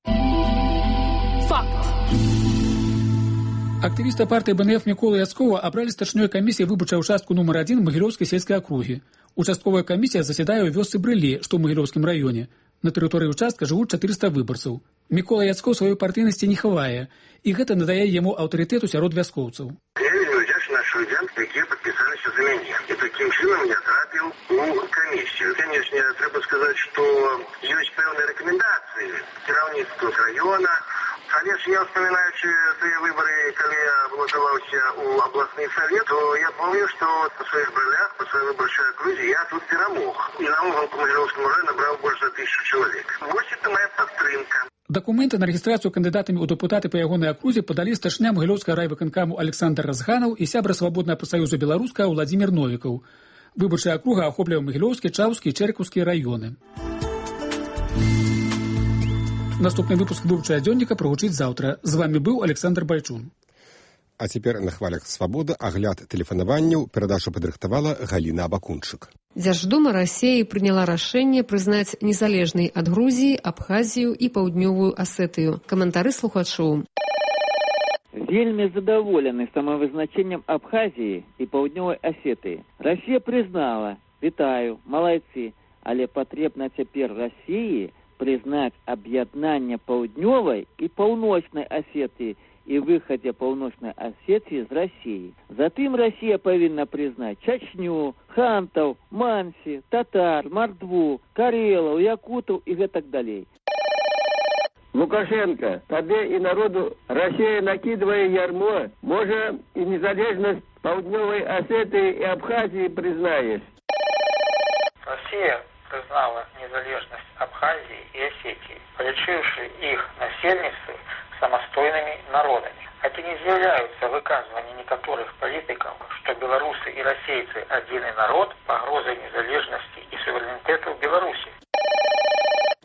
Актывіста партыі БНФ Мікола Яцкова абралі старшынёй камісіі выбарчай участку нумар 1 Магілёўскай сельскай акругі. Участковая камісія засядае ў вёсцы Брылі, што ў Магілёўскім раёне. На тэрыторыі участка жывуць 400 выбарцаў. Мікола Яцкоў сваёй партыйнасці не хавае, і гэта надае яму аўтарытэту сярод вяскоўцаў. Я вельмі ўдзячны нашым людзям, якія падпісаліся за мяне. І такім чынам я трапіў у камісію. Канешне, трэба сказаць, што ёсць пэўныя рэкамендацыі кіраўніцтва з раёна. Але ж я, вспоминаючи тыя выборы, калі я балотаваўся у областный совет, то я помню, что по своих брылях, по своей выборчай округе я тут перамог. И на Могилевском районе набрал больше 1000 человек. Вот это моя падтрымка. Дакументы на рэгістрацыю кандыдатамі ў дэпутаты па ягонай акрузе падалі старшыня Магілёўскага райвыканкаму Александр Разганаў і сябра свабоднага прафсаюза беларускага Владзімір Новікаў. Выбарчая акруга ахоплівае Магілёўскі, Чаўскі і Чэркаўскі раёны. Наступны выпуск выбарчага дзённіка прагучыць заўтра. З вамі быў Александр Байчун. А цяпер на хвалях свабоды агляд тэлефанаванняў перадачу падрыхтавала Галіна Абакунчык. Дзярждума Рассіі прыняла рашэнне прызнаць незалежнай ад Грузіі, Абхазію і Паўднёвую Асетыю. Каментары слухачоў. Вельмі задаволены самавызначэннем Абхазіі і Паўднёвай Асетыі. Расія прызнала, вітаю, малайцы, але патрэбна цяпер Расіі признать объединение Паўднёвай и Паўночной Осетии и выходе Паўночной Осетии из России. Затым Россия повинна признать Чечню, хантов, манси, татар, мордву, карелов, якутов и так далее. Лукашенко, тебе и народу Россия накидывая ярмо, может и незалежность Паўднёвай Осетии и Абхазии признаешь. Россия признала незалежность Абхазии и Осетии, полечивши их насельництво самостойными народами. Это не являются выказывания некоторых политиков, что белорусы и российцы один народ, погрозой незалежности и суверенитету Беларуси.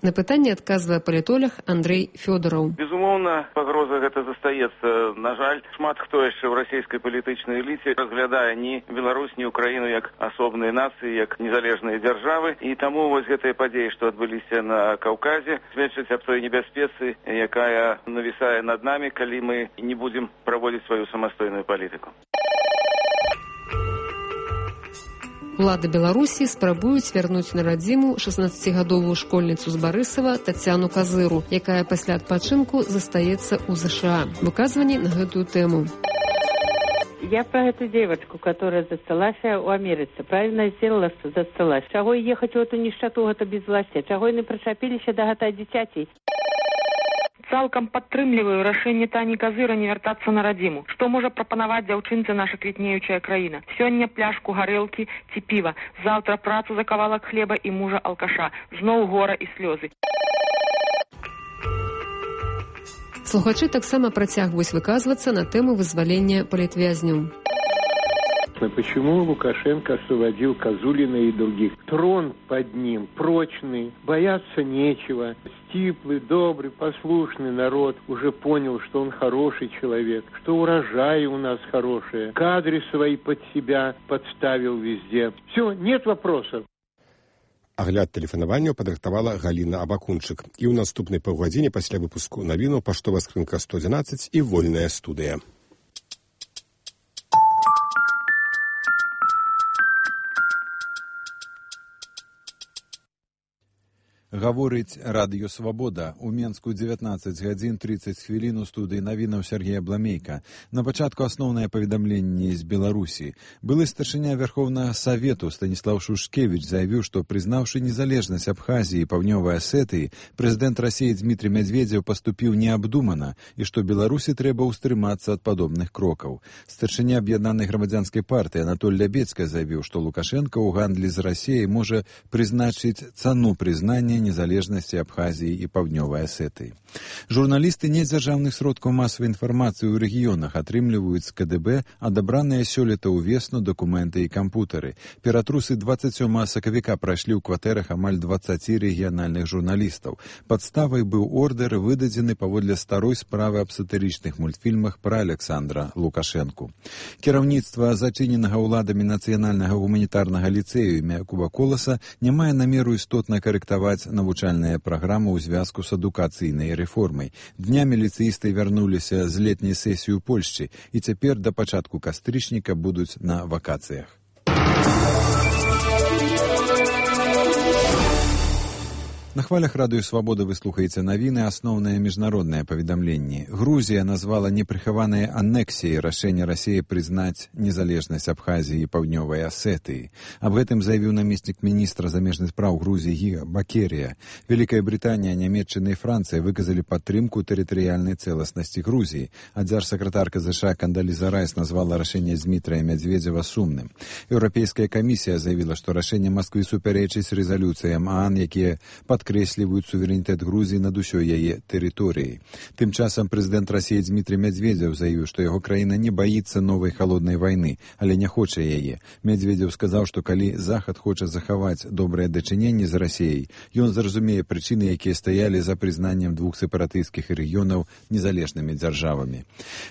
На пытанне адказвае палітолог Андрей Фёдораў. Безумоўна, пагроза гэта застаецца. На жаль, шмат хто яшчэ ў расійскай палітычнай эліце разглядае ні Беларусь, ні Украіну як асобныя нацыі, як незалежныя дзяржавы. І таму вось гэтыя падзеі, што адбыліся на Каўказе, сведчаць аб той небяспецы, якая навісае над намі, калі мы не будзем праводзіць сваю самастойную палітыку. Улады Беларусі спрабуюць вярнуць на радзіму 16-гадовую школьніцу з Барысава Тацяну Казыру, якая пасля адпачынку застаецца ў ЗША. Выказванні на гэтую тэму. Я про эту девочку, которая засталась в Америке, правильно сделала, что засталась. Чего ехать в эту нищету, это безвластие? Чего не причепились до этого дитяти? Цалкам падтрымліваю рашэнне Тані Казыра не вяртацца на радзіму. Што можа прапанаваць дзяўчынцы наша квітнеючая краіна? Сёння пляшку гарэлкі ці піва, заўтра працу за кавалак хлеба і мужа алкаша. Зноў гора і слёзы. Слухачы таксама працягваюць выказвацца на тэму вызвалення палітвязняў. Почему Лукашенко освободил Козулина и других? Трон под ним прочный, бояться нечего. Стиплый, добрый, послушный народ уже понял, что он хороший человек, что урожаи у нас хорошие, кадры свои под себя подставил везде. Все, нет вопросов. Агляд тэлефанаванняў падрыхтавала Галіна Абакунчык. І ў наступнай паўгадзіне пасля выпуску навінаў паштовая скрынка 111 і вольная студыя. Гаворыць Радыё Свабода. У Менску 19 гадзін 30 хвілін у студыі навінаў Сергея Бламейка. На пачатку асноўнае паведамленне з Беларусі. Былы старшыня Верховнага Савету Станіслав Шушкевіч заявіў, што прызнаўшы незалежнасць Абхазіі і Паўднёвай Асетыі, прэзідэнт Расіі Дмітрый Медведзеў паступіў неабдумана і што Беларусі трэба ўстрымацца ад падобных крокаў. Старшыня аб'яднанай грамадзянскай партыі Анатоль Лябецка заявіў, што Лукашенко ў гандлі з Расіяй можа прызначыць цану прызнання незалежнасці Абхазіі і Паўднёвай Асетыі. Журналісты недзяржаўных сродкаў масавай інфармацыі ў рэгіёнах атрымліваюць з КДБ адабраныя сёлета ўвесну дакументы і кампутары. Ператрусы 27 сакавіка прайшлі ў кватэрах амаль 20 рэгіянальных журналістаў. Падставай быў ордэр, выдадзены паводле старой справы аб сатырычных мультфільмах пра Александра Лукашэнку. Кіраўніцтва зачыненага ўладамі нацыянальнага гуманітарнага ліцэю імя Якуба Коласа не мае намеру істотна карэктаваць навучальныя праграмы ў звязку з адукацыйнай рэформай. Днямі ліцэісты вярнуліся з летняй сесіі ў Польшчы і цяпер да пачатку кастрычніка будуць на вакацыях. На хвалях Радыё Свабода вы слухаеце навіны, асноўныя міжнародныя паведамленні. Грузія назвала непрыхаванай анексіяй рашэнне Расіі прызнаць незалежнасць Абхазіі і Паўднёвай Асетыі. Аб гэтым заявіў намеснік міністра замежных спраў Грузіі Гіга Бакерія. Вялікая Брытанія, Нямецчына і Францыя выказалі падтрымку тэрытарыяльнай цэласнасці Грузіі. А дзяржсакратарка ЗША Кандаліза Райс назвала рашэнне Дмітрая Медведзева сумным. Еўрапейская камісія заявіла, што рашэнне Масквы супярэчыць рэзалюцыям ААН, якія падкрэсліваюць суверэнітэт Грузіі над усёй яе тэрыторыяй. Тым часам прэзідэнт Расіі Дмітрый Медведзеў заявіў, што яго краіна не баіцца новай халоднай вайны, але не хоча яе. Медведзеў сказаў, што калі Захад хоча захаваць добрае дачыненне з Расіяй, ён зразумее прычыны, якія стаялі за прызнаннем двух сепаратысцкіх рэгіёнаў незалежнымі дзяржавамі.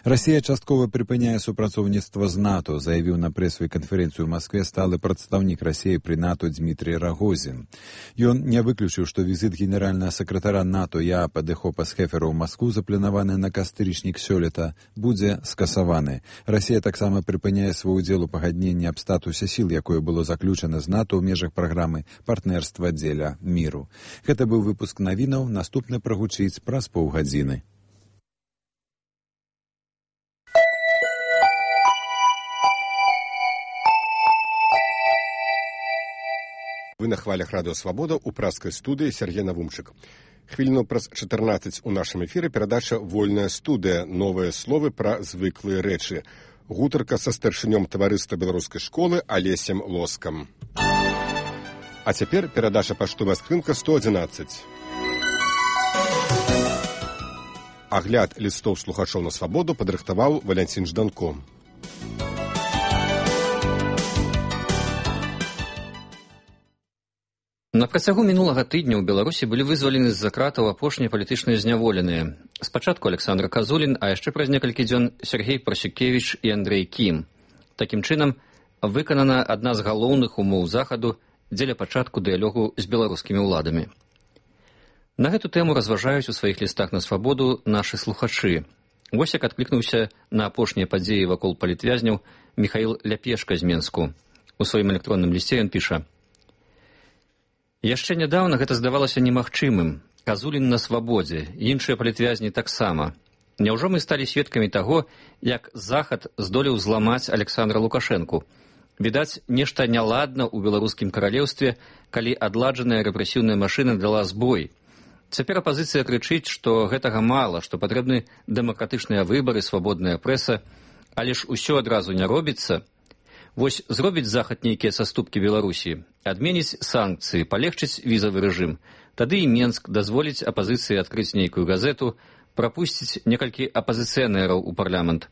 Расія часткова прыпыняе супрацоўніцтва з НАТО, заявіў на прэсавай канферэнцыі ў Маскве сталы прадстаўнік Расіі пры НАТО Дмітрий Рагозін. Ён не выключыў, што візіт генеральнага сакратара НАТО Яапа де Хопа-Схефера ў Маскву, запланаваны на кастрычнік сёлета, будзе скасаваны. Расія таксама прыпыняе свой удзел у пагадненні аб статусе сіл, якое было заключана з НАТО ў межах праграмы партнерства дзеля міру. Гэта быў выпуск навінаў, наступны прагучыць праз паўгадзіны. Вы на хвалях Радыё Свабода ў праскай студыі Сергей Навумчык. Хвіліну праз 14 у нашым эфіры перадача «Вольная студыя. Новыя словы пра звыклыя рэчы». Гутарка са старшынём таварыства беларускай школы Алесем Лоскам. А цяпер перадача паштовая скрынка 111. Агляд лістоў слухачоў на свабоду падрыхтаваў Валянцін Жданко. На працягу мінулага тыдня ў Беларусі былі вызвалены з-за кратаў апошнія палітычныя зняволеныя. Спачатку Александр Казулін, а яшчэ праз некалькі дзён Сергей Прасюкевіч і Андрэй Кім. Такім чынам, выканана адна з галоўных умоў Захаду дзеля пачатку дыялогу з беларускімі ўладамі. На гэту тэму разважаюць у сваіх лістах на свабоду нашы слухачы. Вось як адклікнуўся на апошнія падзеі вакол палітвязняў Міхаіл Ляпешка з Менску. У сваім электронным лісце ён піша: «Яшчэ нядаўна гэта здавалася немагчымым. Казулін на свабодзе, іншыя палітвязні таксама. Няўжо мы сталі сведкамі таго, як Захад здолеў зламаць Александра Лукашэнку? Відаць, нешта няладна ў беларускім каралеўстве, калі адладжаная рэпрэсіўная машына дала збой. Цяпер апазіцыя крычыць, што гэтага мала, што патрэбны дэмакратычныя выбары, свабодная прэса, але ж усё адразу не робіцца. Вось зробіць захад нейкія саступкі Беларусі, адменіць санкцыі, палегчыць візавы рэжым. Тады і Менск дазволіць апазіцыі адкрыць нейкую газету, прапусціць некалькі апазіцыянераў у парламент.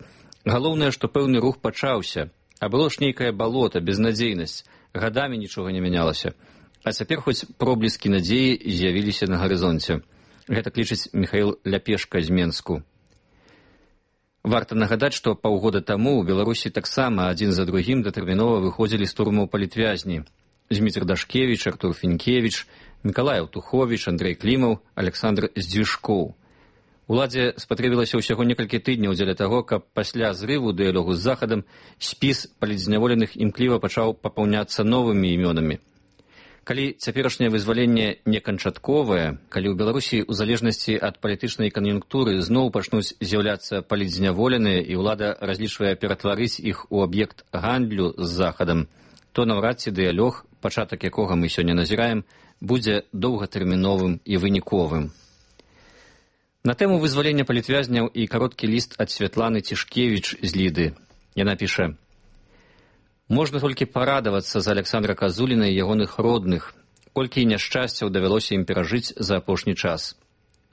Галоўнае, што пэўны рух пачаўся, а было ж нейкае балота, безнадзейнасць, гадамі нічога не мянялася. А цяпер хоць пробліскі надзеі з'явіліся на гарызонце. Гэта лічыць Міхаіл Ляпешка з Менску. Варта нагадаць, што паўгода таму ў Беларусі таксама адзін за другім датэрмінова выходзілі з турмаў палітвязні. Зміцер Дашкевіч, Артур Фінкевіч, Мікалай Аўтуховіч, Андрэй Клімаў, Александр Здзюшкоў. Уладзе спатрэбілася ўсяго некалькі тыдняў дзеля таго, каб пасля зрыву дыялогу з Захадам спіс палітзняволеных імкліва пачаў папаўняцца новымі імёнамі. Калі цяперашняе вызваленне не канчатковае, калі ў Беларусі ў залежнасці ад палітычнай кан'юнктуры зноў пачнуць з'яўляцца палітзняволеныя і ўлада разлічвае ператварыць іх у аб'ект гандлю з Захадам, то наўрад ці дыялог, пачатак якога мы сёння назіраем, будзе доўгатэрміновым і выніковым. На тэму вызвалення палітвязняў і кароткі ліст ад Святланы Цішкевіч з Ліды. Яна піша: «Можна толькі парадавацца за Александра Казуліна і ягоных родных, колькі няшчасцяў давялося ім перажыць за апошні час.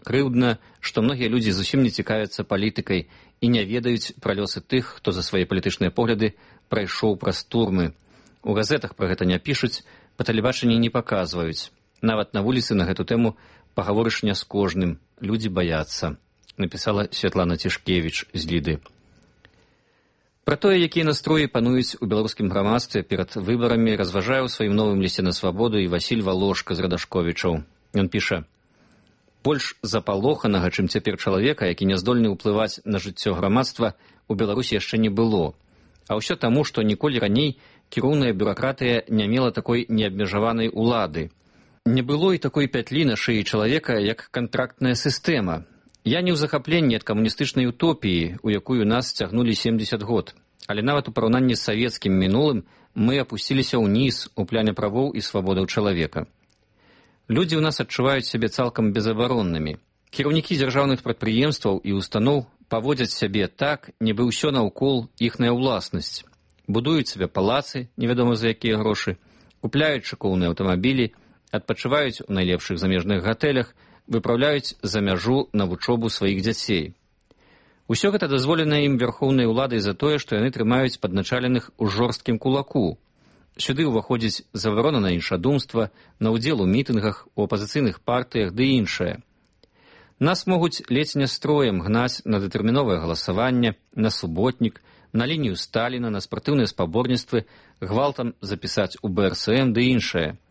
Крыўдна, што многія людзі зусім не цікавяцца палітыкай і не ведаюць пра лёсы тых, хто за свае палітычныя погляды прайшоў праз турмы. У газетах пра гэта не пішуць, па тэлебачанні не паказваюць. Нават на вуліцы на гэту тэму пагаворыш не з кожным, людзі баяцца», напісала Святлана Цішкевіч з Ліды. Пра тое, якія настроі пануюць у беларускім грамадстве перад выбарамі, разважае ў сваім новым лісце на свабоду і Васіль Валошка з Радашковічаў. Ён піша: «Больш запалоханага, чым цяпер чалавека, які не здольны ўплываць на жыццё грамадства, у Беларусі яшчэ не было. А ўсё таму, што ніколі раней кіроўная бюракратыя не мела такой неабмежаванай улады. Не было і такой пятлі на шыі чалавека, як кантрактная сістэма. Я не ў захапленні ад камуністычнай утопіі, у якую нас цягнулі 70 год. Але нават у параўнанні з савецкім мінулым мы апусціліся ўніз у пляне правоў і свабодаў чалавека. Людзі ў нас адчуваюць сябе цалкам безабароннымі. Кіраўнікі дзяржаўных прадпрыемстваў і устаноў паводзяць сябе так, нібы ўсё наўкол іхная ўласнасць. Будуюць сабе палацы, невядома за якія грошы, купляюць шыкоўныя аўтамабілі, адпачываюць у найлепшых замежных гатэлях, выпраўляюць за мяжу на вучобу сваіх дзяцей. Усё гэта дазволена ім вярхоўнай уладай за тое, што яны трымаюць падначаленых у жорсткім кулаку. Сюды ўваходзіць забарона на іншадумства, на ўдзел у мітынгах, у апазіцыйных партыях ды іншае. Нас могуць ледзь не строем гнаць на датэрміновае галасаванне, на суботнік, на лінію Сталіна, на спартыўныя спаборніцтвы, гвалтам запісаць у БРСМ ды іншае.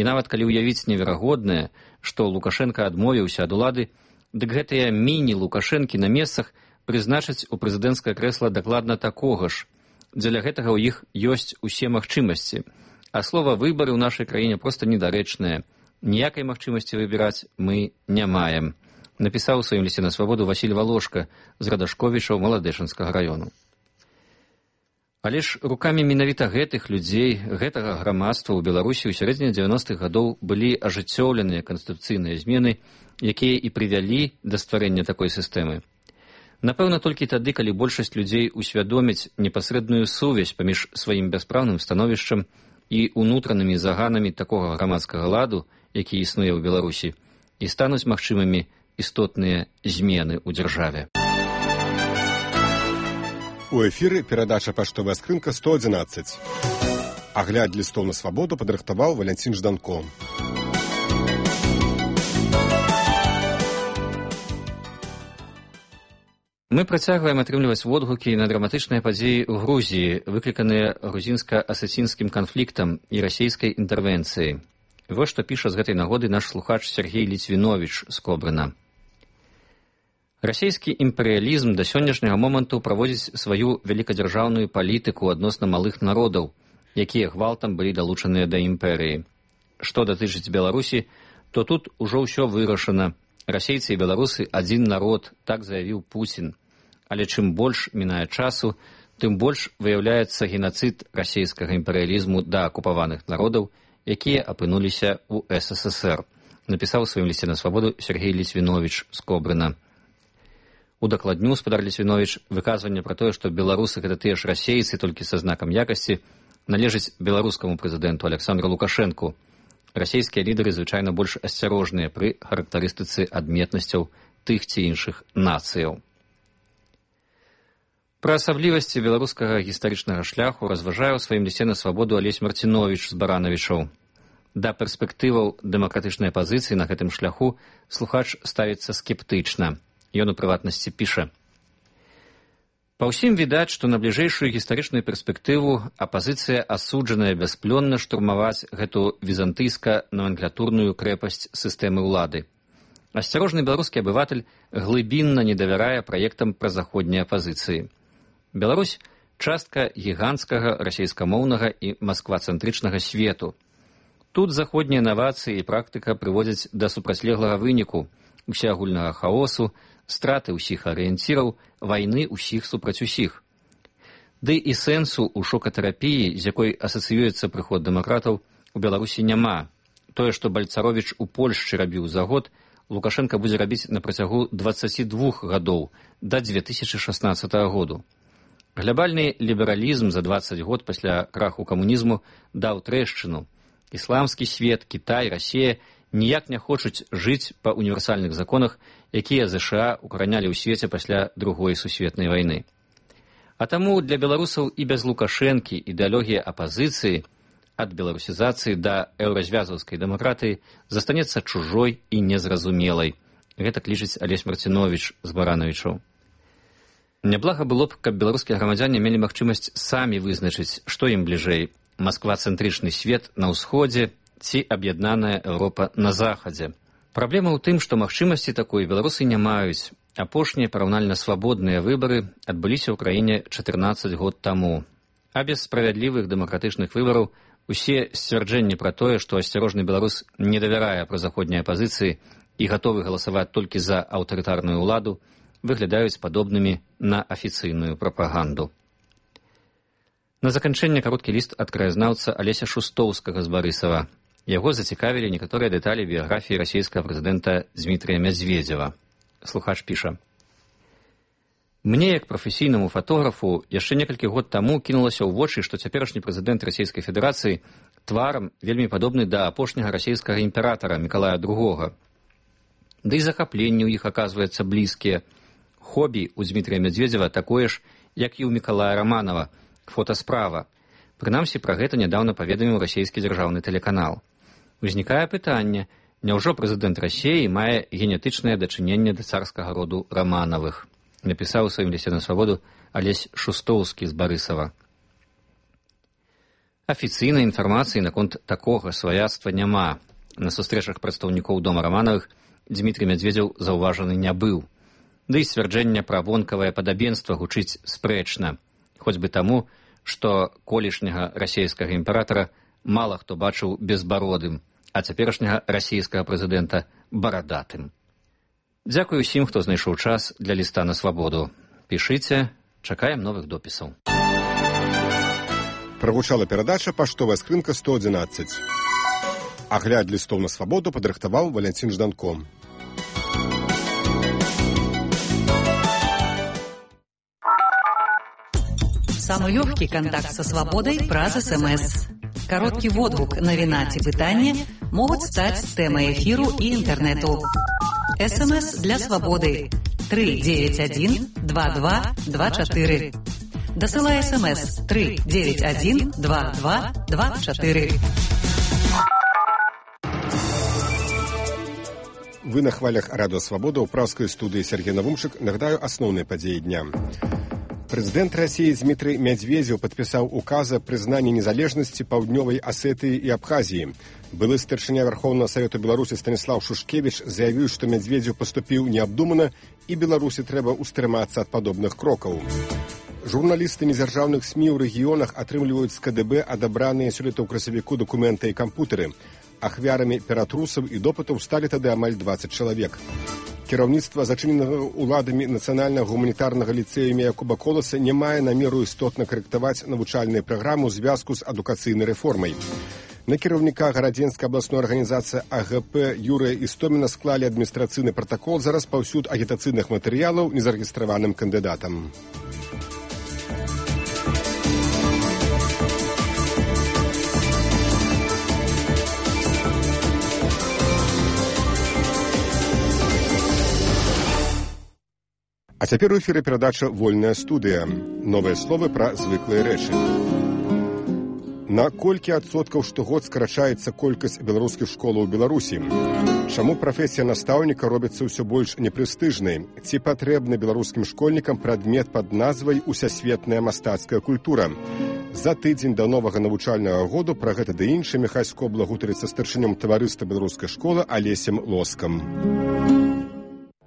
І нават калі ўявіць неверагоднае, што Лукашенка адмовіўся ад улады, дык гэтыя міні-Лукашэнкі на месцах прызначаць у прэзідэнцкае крэсла дакладна такога ж. Дзеля гэтага ў іх ёсць усе магчымасці. А слова «выбары» ў нашай краіне проста недарэчнае. Ніякай магчымасці выбіраць мы не маем, напісаў у сваім лісце на свабоду Васіль Валошка з Радашковічаў Маладэшынскага раёну. Але ж рукамі менавіта гэтых людзей, гэтага грамадства ў Беларусі ў сярэдзіне 90-х гадоў былі ажыццёўленыя канстытуцыйныя змены, якія і прывялі да стварэння такой сістэмы. Напэўна, толькі тады, калі большасць людзей усвядоміць непасрэдную сувязь паміж сваім бяспраўным становішчам і унутранымі заганамі такога грамадскага ладу, які існуе ў Беларусі, і стануць магчымымі істотныя змены ў дзяржаве. У эфіры перадача «Паштовая скрынка 111». Агляд лістоў на свабоду падрыхтаваў Валянцін Жданко. Мы працягваем атрымліваць водгукі на драматычныя падзеі ў Грузіі, выкліканыя грузінска-асацінскім канфліктам і расійскай інтэрвенцыяй. Вось што піша з гэтай нагоды наш слухач Сергей Ліцвіновіч з Кобрына. Расійскі імперыялізм да сённяшняга моманту праводзіць сваю вялікадзяржаўную палітыку адносна малых народаў, якія гвалтам былі далучаныя да імперыі. Што датычыць Беларусі, то тут ужо ўсё вырашана. Расейцы і беларусы адзін народ, так заявіў Пуцін. Але чым больш мінае часу, тым больш выяўляецца генацыд расійскага імперыялізму да акупаваных народаў, якія апынуліся ў СССР, напісаў у сваім лісце на свабоду Сергей Лісвіновіч з Кобрына. Удакладню спадар Лісвіновіч выказванне пра тое, што беларусы гэта тыя ж расейцы, толькі са знакам якасці, належыць беларускаму прэзідэнту Александру Лукашэнку. Расійскія лідары звычайна больш асцярожныя пры характарыстыцы адметнасцяў тых ці іншых нацыяў. Пра асаблівасці беларускага гістарычнага шляху разважае ў сваім лісце на свабоду Алесь Марціновіч з Баранавічаў. Да перспектываў дэмакратычнай пазіцыі на гэтым шляху слухач ставіцца скептычна. Ён у прыватнасці піша: «Па ўсім відаць, што на бліжэйшую гістарычную перспектыву апазіцыя асуджаная бясплённа штурмаваць гэту візантыйска-номенклатурную крэпасць сістэмы ўлады. Асцярожны беларускі абыватель глыбінна не давярае праектам пра заходняй апазіцыі. Беларусь – частка гіганцкага расейскамоўнага і масквацэнтрычнага свету. Тут заходнія навацыі і практыка прыводзяць да супрацьлеглага выніку, усеагульнага хаосу, страты ўсіх арыенціраў, вайны ўсіх супраць усіх. Ды і сэнсу ў шокатэрапіі, з якой асацыюецца прыход дэмакратаў, у Беларусі няма. Тое, што Бальцаровіч у Польшчы рабіў за год, Лукашенка будзе рабіць на працягу 22 гадоў да 2016 году. Глобальны лібералізм за 20 год пасля краху камунізму даў трэшчыну. Ісламскі свет, Кітай, Расія ніяк не хочуць жыць па універсальных законах, якія ЗША укаранялі ў свеце пасля Другой сусветнай вайны. А таму для беларусаў і без Лукашэнкі ідэалогія апазіцыі ад беларусізацыі да еўразвязаўскай дэмакратыі застанецца чужой і незразумелай. Гэтак лічыць Алесь Марціновіч з Баранавічаў. Няблага было б, каб беларускія грамадзяне мелі магчымасць самі вызначыць, што ім бліжэй – масква-цэнтрычны свет на ўсходзе ці аб'яднаная Еўропа на захадзе. Праблема ў тым, што магчымасці такой беларусы не маюць. Апошнія параўнальна свабодныя выбары адбыліся ў краіне 14 год таму. А без справядлівых дэмакратычных выбараў усе сцвярджэнні пра тое, што асцярожны беларус не давярае прозаходняй апазіцыі і гатовы галасаваць толькі за аўтарытарную ўладу, выглядаюць падобнымі на афіцыйную прапаганду. На заканчэнне кароткі ліст ад краязнаўца Алеся Шустоўскага з Барысава. Яго зацікавілі некаторыя дэталі біяграфіі расійскага прэзідэнта Дзмітрыя Мядзведзева. Слухач піша: «Мне, як прафесійнаму фотографу, яшчэ некалькі год таму кінулася ў вочы, што цяперашні прэзідэнт Расійскай Федэрацыі тварам вельмі падобны да апошняга расійскага імператара Мікалая II. Ды і захапленні ў іх аказваюцца блізкія. Хобі ў Дзмітрыя Мядзведзева такое ж, як і ў Мікалая Раманова, фотасправа. Прынамсі, пра гэта нядаўна паведаміў расійскі дзяржаўны тэлеканал. Узнікае пытанне, няўжо прэзідэнт Расіі мае генетычнае дачыненне да царскага роду Раманавых? Напісаў у сваім лісце на свабоду Алесь Шустоўскі з Барысава. Афіцыйнай інфармацыі наконт такога сваяцтва няма. На сустрэчах прадстаўнікоў дома Раманавых Дзмітрый Мядзведзеў заўважаны не быў. Ды і сцвярджэнне пра вонкавае падабенства гучыць спрэчна, хоць бы таму, што колішняга расійскага імператара мала хто бачыў безбародым, а цяперашняга расійскага прэзідэнта барадатым. Дзякую ўсім, хто знайшоў час для ліста на свабоду. Пішыце, чакаем новых допісаў. Прагучала перадача «Паштовая скрынка 111». Агляд лістоў на свабоду падрыхтаваў Валянцін Жданко. Самый легкий контакт со свободой праз СМС. Короткий водгук, навіна ці пытанне могуць стаць тэмай эфіру і інтэрнэту. СМС для свободы 391 2224. Дасылай СМС 391 2224. Вы на хвалях Радио Свобода ў праўскай студыі Сергей Навумшык. Нагадаю асноўныя падзеі дня. Прэзідэнт Расіі Дзмітрый Мядзведзеў падпісаў указ о прызнанні незалежнасці Паўднёвай Асетыі і Абхазіі. Былы старшыня Верховнага Савету Беларусі Станіслаў Шушкевіч заявіў, што Мядзведзеў паступіў неабдумана і Беларусі трэба ўстрымацца ад падобных крокаў. Журналісты незяржаўных СМІ ў рэгіёнах атрымліваюць з КДБ адабраныя сёлета ў красавіку дакументы і кампутары. Ахвярамі ператрусаў і допытаў сталі тады амаль 20 чалавек. Кіраўніцтва зачыненага ўладамі нацыянальнага гуманітарнага ліцэя імя Якуба Коласа не мае намеру істотна карэктаваць навучальную праграму ў звязку з адукацыйнай рэформай. На кіраўніка гарадзенскай абласной арганізацыі АГП Юрыя Істоміна склалі адміністрацыйны пратакол за распаўсюд агітацыйных матэрыялаў незарэгістраваным кандыдатам. А цяпер у эфіры перадача «Вольная студыя». Новыя словы пра звыклыя рэчы. На колькі адсоткаў штогод скарачаецца колькасць беларускіх школаў у Беларусі? Чаму прафесія настаўніка робіцца ўсё больш непрэстыжнай? Ці патрэбны беларускім школьнікам прадмет пад назвай «Усясветная мастацкая культура»? За тыдзень да новага навучальнага году пра гэта ды іншае Міхай Скобла гутарыцца з старшынём таварыства беларускай школы Алесем Лоскам.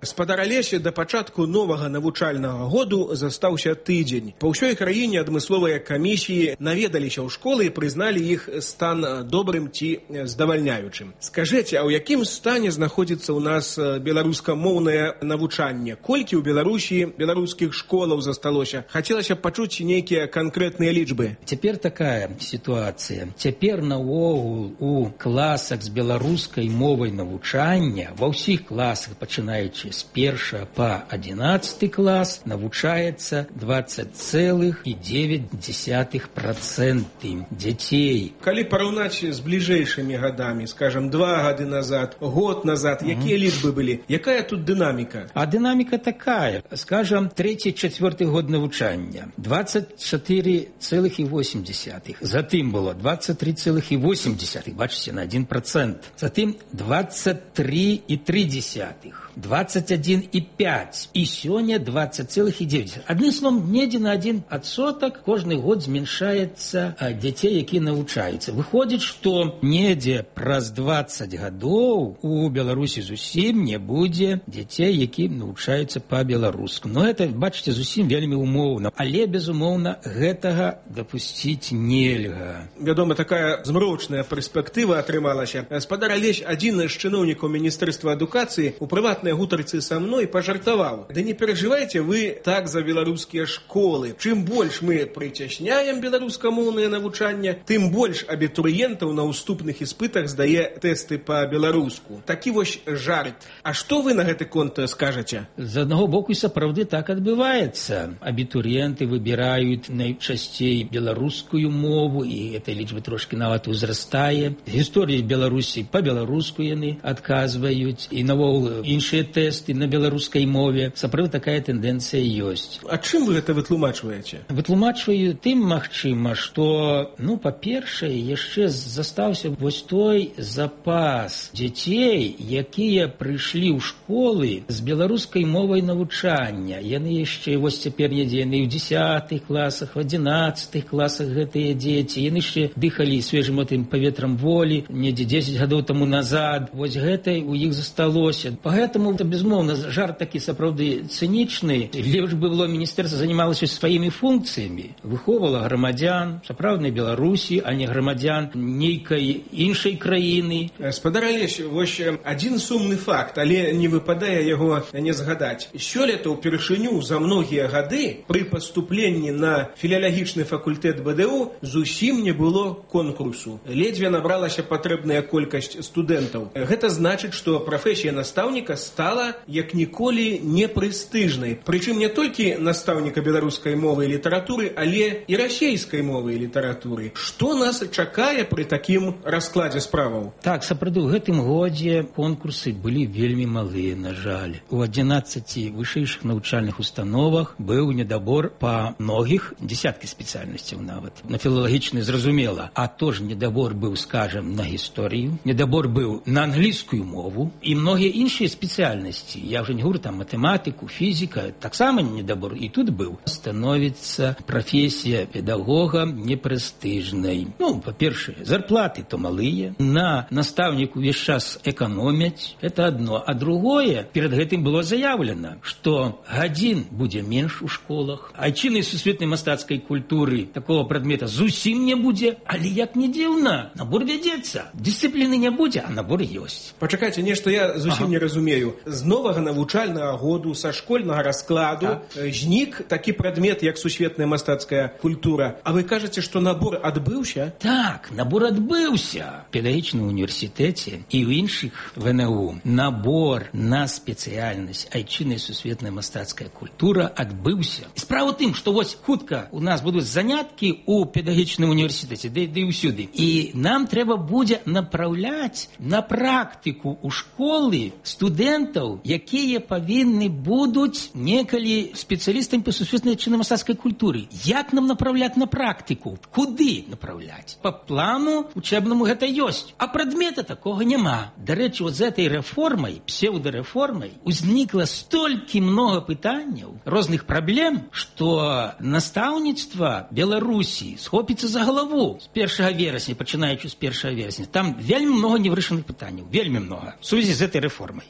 Спадар Алеся, да пачатку новага навучальнага году застаўся тыдзень. Па ўсёй краіне адмысловыя камісіі наведаліся ў школы і прызналі іх стан добрым ці здавальняючым. Скажыце, а ў якім стане знаходзіцца ў нас беларускамоўнае навучанне? Колькі ў Беларусі беларускіх школаў засталося? Хацелася б пачуць нейкія канкрэтныя лічбы. Цяпер такая сітуацыя. Цяпер наогул у класах з беларускай мовай навучання, ва ўсіх класах, пачынаючы з 1 па 11 клас, навучаецца 20,9% дзяцей. Калі параўнаць з бліжэйшымі гадамі, скажам, 2 гады назад, год назад, якія лічбы былі? Якая тут дынаміка? А дынаміка такая. Скажам, 3-4 год навучання. 24,8. Затым было 23,8. Бачыце, на 1%. Затым 23,3. 21,5. І сёння 20,9. Адным словом, недзе на 1% кожны год зменшаецца дзяцей, якія навучаюцца. Выходзіць, што недзе праз 20 гадоў у Беларусі зусім не будзе дзяцей, якія навучаюцца па-беларуску. Но это, бачыце, зусім вельмі умоўна. Але, безумоўна, гэтага дапусціць нельга. Вядома, такая змрочная перспектыва атрымалася. Спадар Алесь, адзін з чыноўнікаў Міністэрства адукацыі у прыватнай гутарцы са мной пажартаваў: да не перажывайце вы так за беларускія школы. Чым больш мы прыцясняем беларускамоўнае навучанне, тым больш абітурыентаў на ўступных іспытах здае тэсты па-беларуску. Такі вось жарт. А што вы на гэты конт скажаце? З аднаго боку, і сапраўды так адбываецца. Абітурыенты выбіраюць найчасцей беларускую мову, і эта лічба трошкі нават узрастае. Гісторыі Беларусі па-беларуску яны адказваюць, і навогул іншыя тэсты на беларускай мове. Сапраўды такая тэндэнцыя ёсць. А чым вы гэта вытлумачваеце? Вытлумачваю тым, магчыма, што, па-першае, яшчэ застаўся вось той запас дзяцей, якія прыйшлі ў школы з беларускай мовай навучання. Яны яшчэ, вось цяпер недзе, яны ў 10 класах, в 11 класах гэтыя дзеці. Яны яшчэ дыхалі свежым гэтым паветрам волі, недзе 10 гадоў таму назад. Вось гэта у іх засталося. Поэтому, безумоўна, жарт такі сапраўды цынічны. Лепш бы было, міністэрства займалася сваімі функцыямі. Выхоўвала грамадзян сапраўднай Беларусі, а не грамадзян нейкай іншай краіны. Спадар Алесь, вось адзін сумны факт, але не выпадае яго не згадаць. Сёлета ўпершыню за многія гады пры паступленні на філіялагічны факультэт БДУ зусім не было конкурсу. Ледзьве набралася патрэбная колькасць студэнтаў. Гэта значыць, што прафесія настаўніка стала як ніколі непрэстыжнай. Прычым не толькі настаўніка беларускай мовы і літаратуры, але і расейскай мовы і літаратуры. Што нас чакае пры такім раскладзе справаў? Так, сапраўды, у гэтым годзе конкурсы былі вельмі малыя, на жаль. У 11 вышэйшых навучальных установах быў недабор па многіх, дзесяткі спецыяльнасцяў нават. На філалагічны зразумела. А то ж недабор быў, скажем, на гісторыю, недабор быў на англійскую мову і многія іншыя спецыяльнасці. Я ўжо не говорю там матэматыку, фізіка, таксама недабор і тут быў. Становіцца прафесія педагога непрэстыжнай. Па-першае, зарплаты то малыя, на настаўніку увесь час эканомяць, это адно. А другое, перад гэтым было заявлена, што гадзін будзе менш у школах, айчыннай сусветнай мастацкай культуры такого прадмета зусім не будзе, але як не дзіўна, набор вядзецца. Дысцыпліны не будзе, а набор ёсць. Пачакайце, нешта я зусім не разумею. З новага навучальнага году, са школьнага раскладу знік такі прадмет, як сусветная мастацкая культура. А вы кажаце, што набор адбыўся? Так, набор адбыўся. В педагагічным універсітэце і ў іншых ВНУ набор на спецыяльнасць айчынная сусветная мастацкая культура адбыўся. Справа ў тым, што вось хутка у нас будуць заняткі ў педагагічным універсітэце, ды і ўсюды. І нам трэба будзе направляць на практыку ў школы студэнтаў, якія павінны будуць некалі спецыялістамі па сусветнай айчыннай мастацкай культуры. Як нам направляць на практыку? Куды направляць? Па плану учебнаму гэта ёсць, а прадмета такога няма. Дарэчы, вот з этой рэформай, псеўдарэформай, узнікла столькі много пытанняў, розных праблем, што настаўніцтва Беларусі схопіцца за галаву з 1 верасня, пачынаючы з 1 верасня. Там вельмі много невырашаных пытанняў, вельмі много, в сувязі з этой рэформай.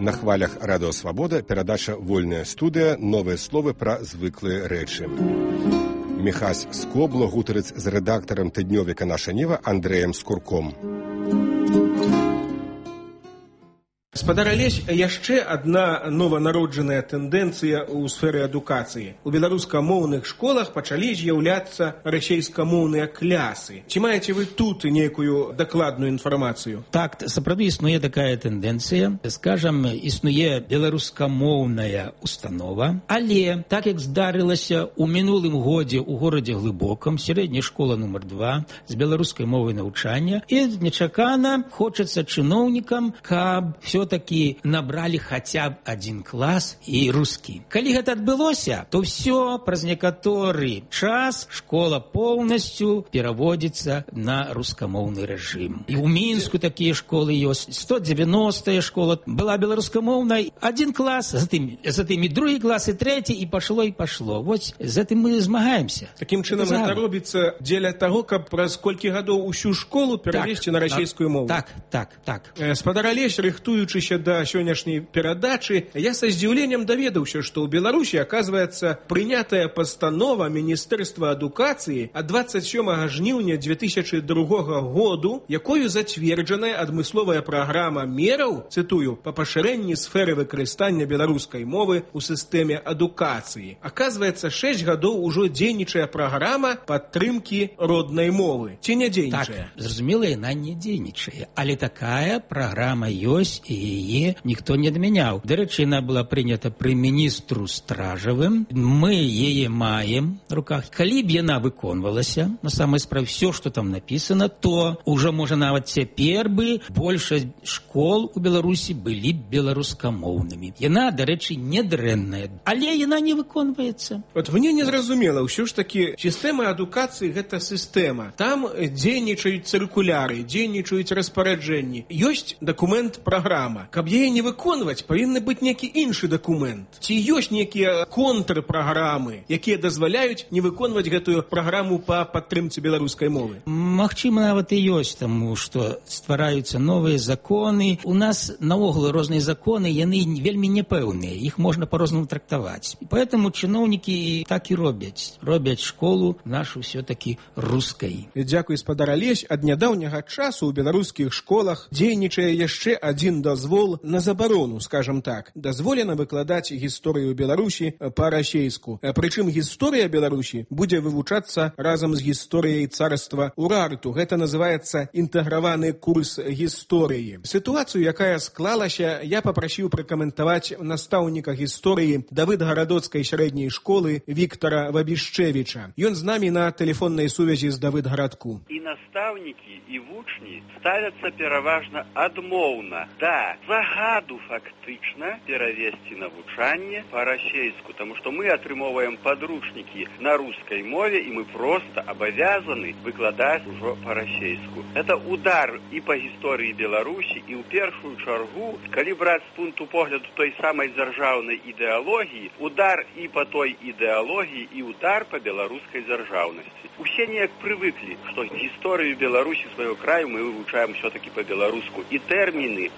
На хвалях Радыё Свабода перадача «Вольная студыя», новыя словы пра звыклыя рэчы. Міхась Скобла гутарыць з рэдактарам тыднёвіка «Наша Ніва» Андрэем Скурком. Гаспадар Алесь, яшчэ адна нованароджаная тэндэнцыя ў сферы адукацыі. У беларускамоўных школах пачалі з'яўляцца расейскамоўныя клясы. Ці маеце вы тут нейкую дакладную інфармацыю? Так, сапраўды існуе такая тэндэнцыя. Скажам, існуе беларускамоўная установа, але, так як здарылася ў мінулым годзе ў горадзе Глыбокам, сярэдняя школа нумар 2 з беларускай мовай навучання, і нечакана хочацца чыноўнікам, каб все-таки набрали хотя бы один класс и русский. Калі гэта адбылося, то все праз некаторы час школа полностью пераводится на рускамоўны рэжым. И у Мінску такие школы ёсць. 190-я школа была беларускамоўнай. Один класс, затым и другі класс, и третий, и пошло, и пошло. Вот з этим мы змагаемся. Таким чынам гэта робіцца дзеля таго, каб праз колькі гадоў усю школу перавесці на расійскую мову. Так. Гаспадар Алесь, рыхтуючыся да сённяшняй перадачы, я са здзіўленнем даведаўся, што ў Беларусі, аказваецца, прынятая пастанова Міністэрства адукацыі ад 27 жніўня 2002 году, якою зацверджаная адмысловая праграма мераў, цытую, па пашырэнні сферы выкарыстання беларускай мовы ў сістэме адукацыі. Аказваецца, 6 гадоў ужо дзейнічае праграма падтрымкі роднай мовы. Ці не дзейнічае? Так, зразумела, яна не дзейнічае, але такая праграма ёсць, і яе ніхто не адмяняў. Дарэчы, яна была прынята пры міністру Стражавым. Мы яе маем в руках. Калі б яна выконвалася, на самой справе все, что там написано, то уже, можа, нават цяпер бы большасць школ у Беларусі былі беларускамоўнымі. Яна, дарэчы, не дрэнная, але яна не выконваецца. Вот мне не зразумела, ўсё ж таки сістэма адукацыі гэта сістэма. Там дзейнічаюць цыркуляры, дзейнічаюць распараджэнні. Ёсць дакумент праграма. Каб яе не выконваць, павінны быць нейкі іншы дакумент. Ці ёсць нейкія контрпраграмы, якія дазваляюць не выконваць гэтую праграму па падтрымцы беларускай мовы? Магчыма, нават і ёсць, таму што ствараюцца новыя законы. У нас наогул розныя законы, яны вельмі непэўныя, іх можна па-рознаму трактаваць. І поэтому чыноўнікі так і робяць. Робяць школу нашу все-таки рускай. Дзякуй, гаспадар Алесь. Ад нядаўняга часу ў беларускіх школах дзейнічае яшчэ адзін дазвол на забарону, скажем так. Дазволена выкладаць гісторыю Беларусі па-расейску. Прычым гісторыя Беларусі будзе вывучацца разам з гісторыяй царства Урарту. Гэта называецца інтэграваны курс гісторыі. Сітуацыю, якая склалася, я папрасіў пракаментаваць настаўніка гісторыі Давыдгарадоцкай сярэдняй школы Віктара Вабішчэвіча. Ён з намі на тэлефоннай сувязі з Давыдгарадку. І настаўнікі, і вучні ставяцца пераважна адмоўна. Да, загаду фактычна перавесці навучанне па-расейску, таму што мы атрымоўваем падручнікі на рускай мове, і мы проста абавязаны выкладаць ужо па-расейску. Это удар і па гісторыі Беларусі, і ў першую чаргу, калі браць з пункту погляду той самай дзяржаўнай ідэалогіі, удар і па той ідэалогіі, і удар па беларускай дзяржаўнасці. Усе неяк прывыклі, што гісторыю Беларусі свайго краю мы вывучаем все-таки па-беларуску. І тэрміны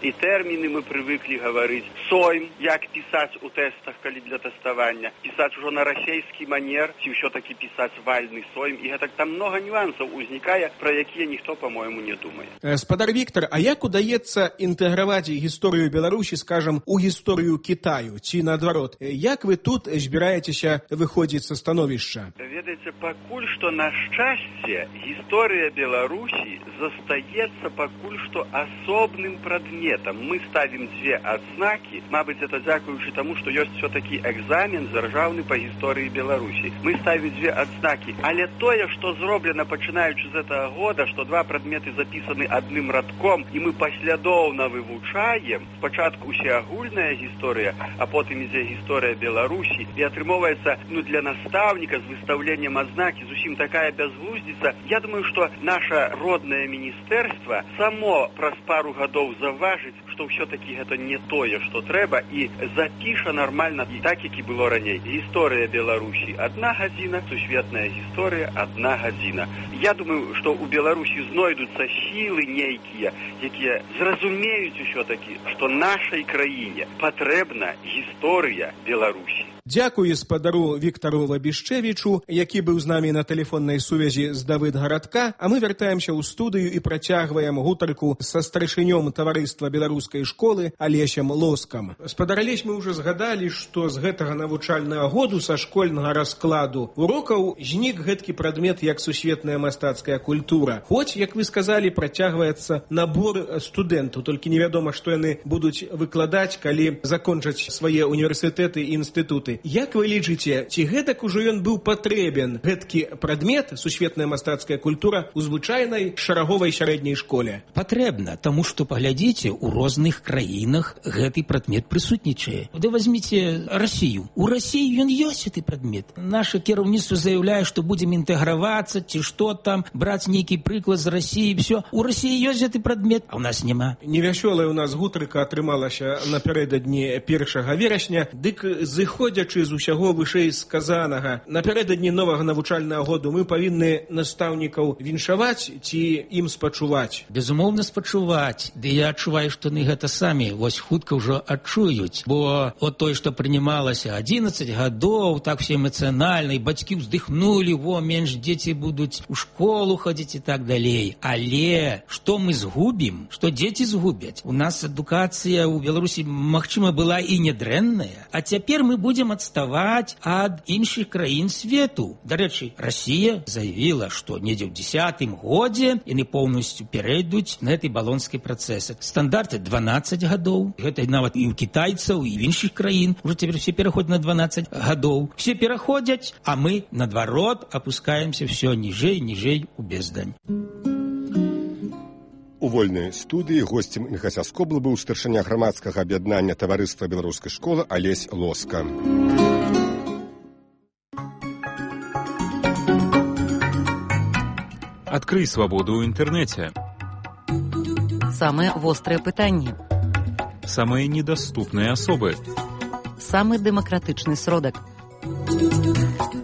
тэрміны мы прывыклі гаварыць. Сойм, як пісаць у тэстах, калі для тэставання. Пісаць ужо на расейскі манер, ці ўсё-такі пісаць вальны сойм. І гэтак там многа нюансаў узнікае, пра якія ніхто, па-мойму, не думае. Спадар Віктор, а як удаецца інтэграваць гісторыю Беларусі, скажам, у гісторыю Кітаю, ці наадварот? Як вы тут збіраецеся выходзіць са становішча? Ведаеце, пакуль што, на шчасце, гісторыя Беларусі застаецца пакуль што асобным прадметам. Мы ставім дзве адзнакі, мабыць, это дзякуючы таму, што ёсць все-таки экзамен дзяржаўны па гісторыі Беларусі. Мы ставім дзве адзнакі, але тое, што зроблена пачынаючы з гэтага года, што два прадметы запісаны адным радком, і мы паслядоўна вывучаем, спачатку усеагульная гісторыя, а потым ідзе гісторыя Беларусі, і атрымоўваецца, для настаўніка з выстаўленнем адзнакі зусім такая бязглуздзіца. Я думаю, што наша роднае міністэрства само праз пару гадоў заўважыць, што ўсё-такі гэта не тое, што трэба, і запіша нармальна так, як і было раней. Гісторыя Беларусі 1 гадзіна, сусветная гісторыя 1 гадзіна. Я думаю, што ў Беларусі знойдуцца сілы нейкія, якія зразумеюць усё-такі, што нашай краіне патрэбна гісторыя Беларусі. Дзякую спадару Віктару Лабішчэвічу, які быў з намі на тэлефоннай сувязі з Давыдгарадка, а мы вяртаемся ў студыю і працягваем гутарку са старшынём таварыства беларускай школы Алесем Лоскам. Спадар Алесь, мы ўжо згадалі, што з гэтага навучальнага году са школьнага раскладу урокаў знік гэткі прадмет, як сусветная мастацкая культура. Хоць, як вы сказалі, працягваецца набор студэнтаў, толькі невядома, што яны будуць выкладаць, калі закончаць свае універсітэты і інстытуты. Як вы лічыце, ці гэтак ужо ён быў патрэбен, гэткі прадмет, сусветная мастацкая культура, у звычайнай шараговай сярэдняй школе? Патрэбна, таму што, паглядзіце, у розных краінах гэты прадмет прысутнічае. Ды возьміце Расію. У Расіі ён ёсць гэты прадмет. Наша кіраўніцтва заяўляе, што будзем інтэгравацца, ці што там, браць нейкі прыклад з Расіі, всё. У Расіі ёсць гэты прадмет, а ў нас няма. Невясёлая ў нас гутарка атрымалася напярэдадні 1 верасня, дык зыходзячы з усяго вышэй сказанага, напярэдадні новага навучальнага году мы павінны настаўнікаў віншаваць ці ім спачуваць? Безумоўна, спачуваць. Ды я адчуваю, што яны гэта самі вось хутка ўжо адчуюць, бо от той, што прынималася 11 гадоў, так все эмацыянальна, і бацькі ўздыхнулі, менш дзеці будуць у школу хадзіць і так далей. Але што мы згубім? Што дзеці згубяць? У нас адукацыя ў Беларусі, магчыма, была і нядрэнная, а цяпер мы будзем адставаць ад іншых краін свету. Дарэчы, Расія заявіла, што недзе ў 10-м годзе яны поўнасцю перайдуць на гэты балонскі працэс. Стандарты 12 гадоў. Гэта нават і ў кітайцаў, і ў іншых краін. Уже цяпер все пераходзяць на 12 гадоў. Все пераходзяць, а мы, наадварот, апускаемся все ніжэй, ніжэй у бездань. У вольнай студыі госцем НХС Скобла быў старшыня грамадскага аб'яднання таварыства беларускай школы Алесь Лоска. Адкрый свабоду ў інтэрнэце. Самыя вострыя пытанні. Самыя недаступныя асобы. Самы дэмакратычны сродак.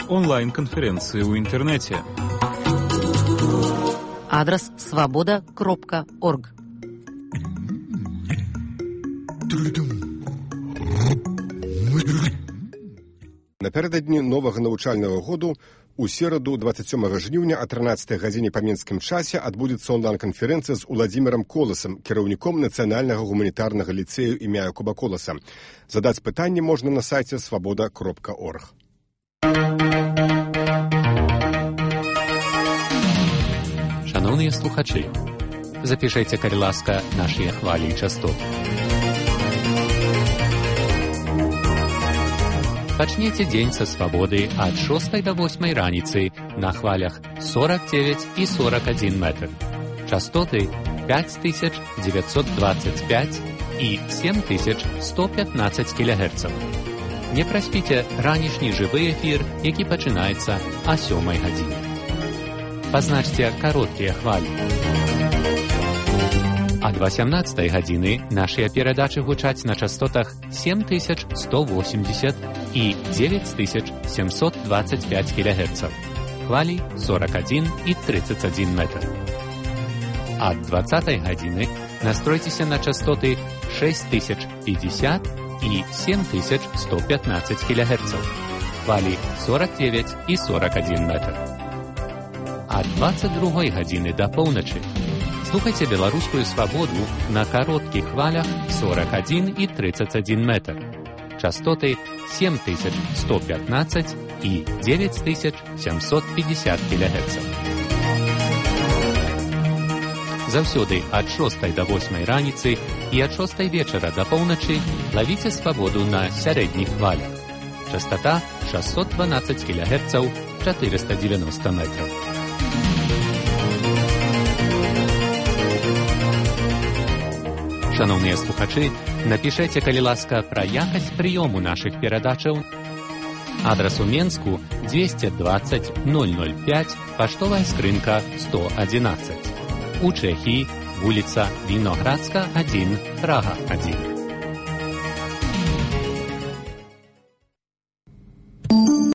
Онлайн-канферэнцыі ў інтэрнэце. Адрас свабода.орг. Напярэдадні новага навучальнага году у сераду 27 жніўня о 13 гадзіне па мінскім часе адбудзецца онлайн-канферэнцыя з Уладзімірам Коласам, кіраўніком Нацыянальнага гуманітарнага ліцэю імя Якуба Коласа. Задаць пытанне можна на сайце свабода.орг. Шановныя слухачы, запішайце, калі ласка, нашыя хвалі і частоты. Пачніце дзень са свабоды ад 6 до 8 раніцы на хвалях 49 і 41 метр. Частоты 5925 і 7115 кГц. Не праспіце ранішні жывы эфір, які пачынаецца о 7 гадзіне. Пазначце кароткія хвалі. Ад 18 гадзіны нашыя перадачы гучаць на частотах 7180 і 9725 кГц. Хвалі 41 і 31 метр. Ад 20 гадзіны настройцеся на частоты 6050 и 7115 кГц. Хвалі 49 і 41 метр. А 22 гадзіны да поўначы слухайце беларускую свабоду на кароткіх хвалях 41 і 31 метр. Частоты 7115 і 9750 кГц. Заўсёды ад 6 до 8 раніцы і ад 6 вечара да поўначы лавіце свабоду на сярэдніх хвалях. Частота 612 кГц, 490 метров. Шановныя слухачы, напішэце, калі ласка, пра якасць прыёму нашых перадачаў. Адрас у Менску 220 005, паштовая скрынка 111. У Чэхіі вуліца Віноградска, 1, Прага, 1.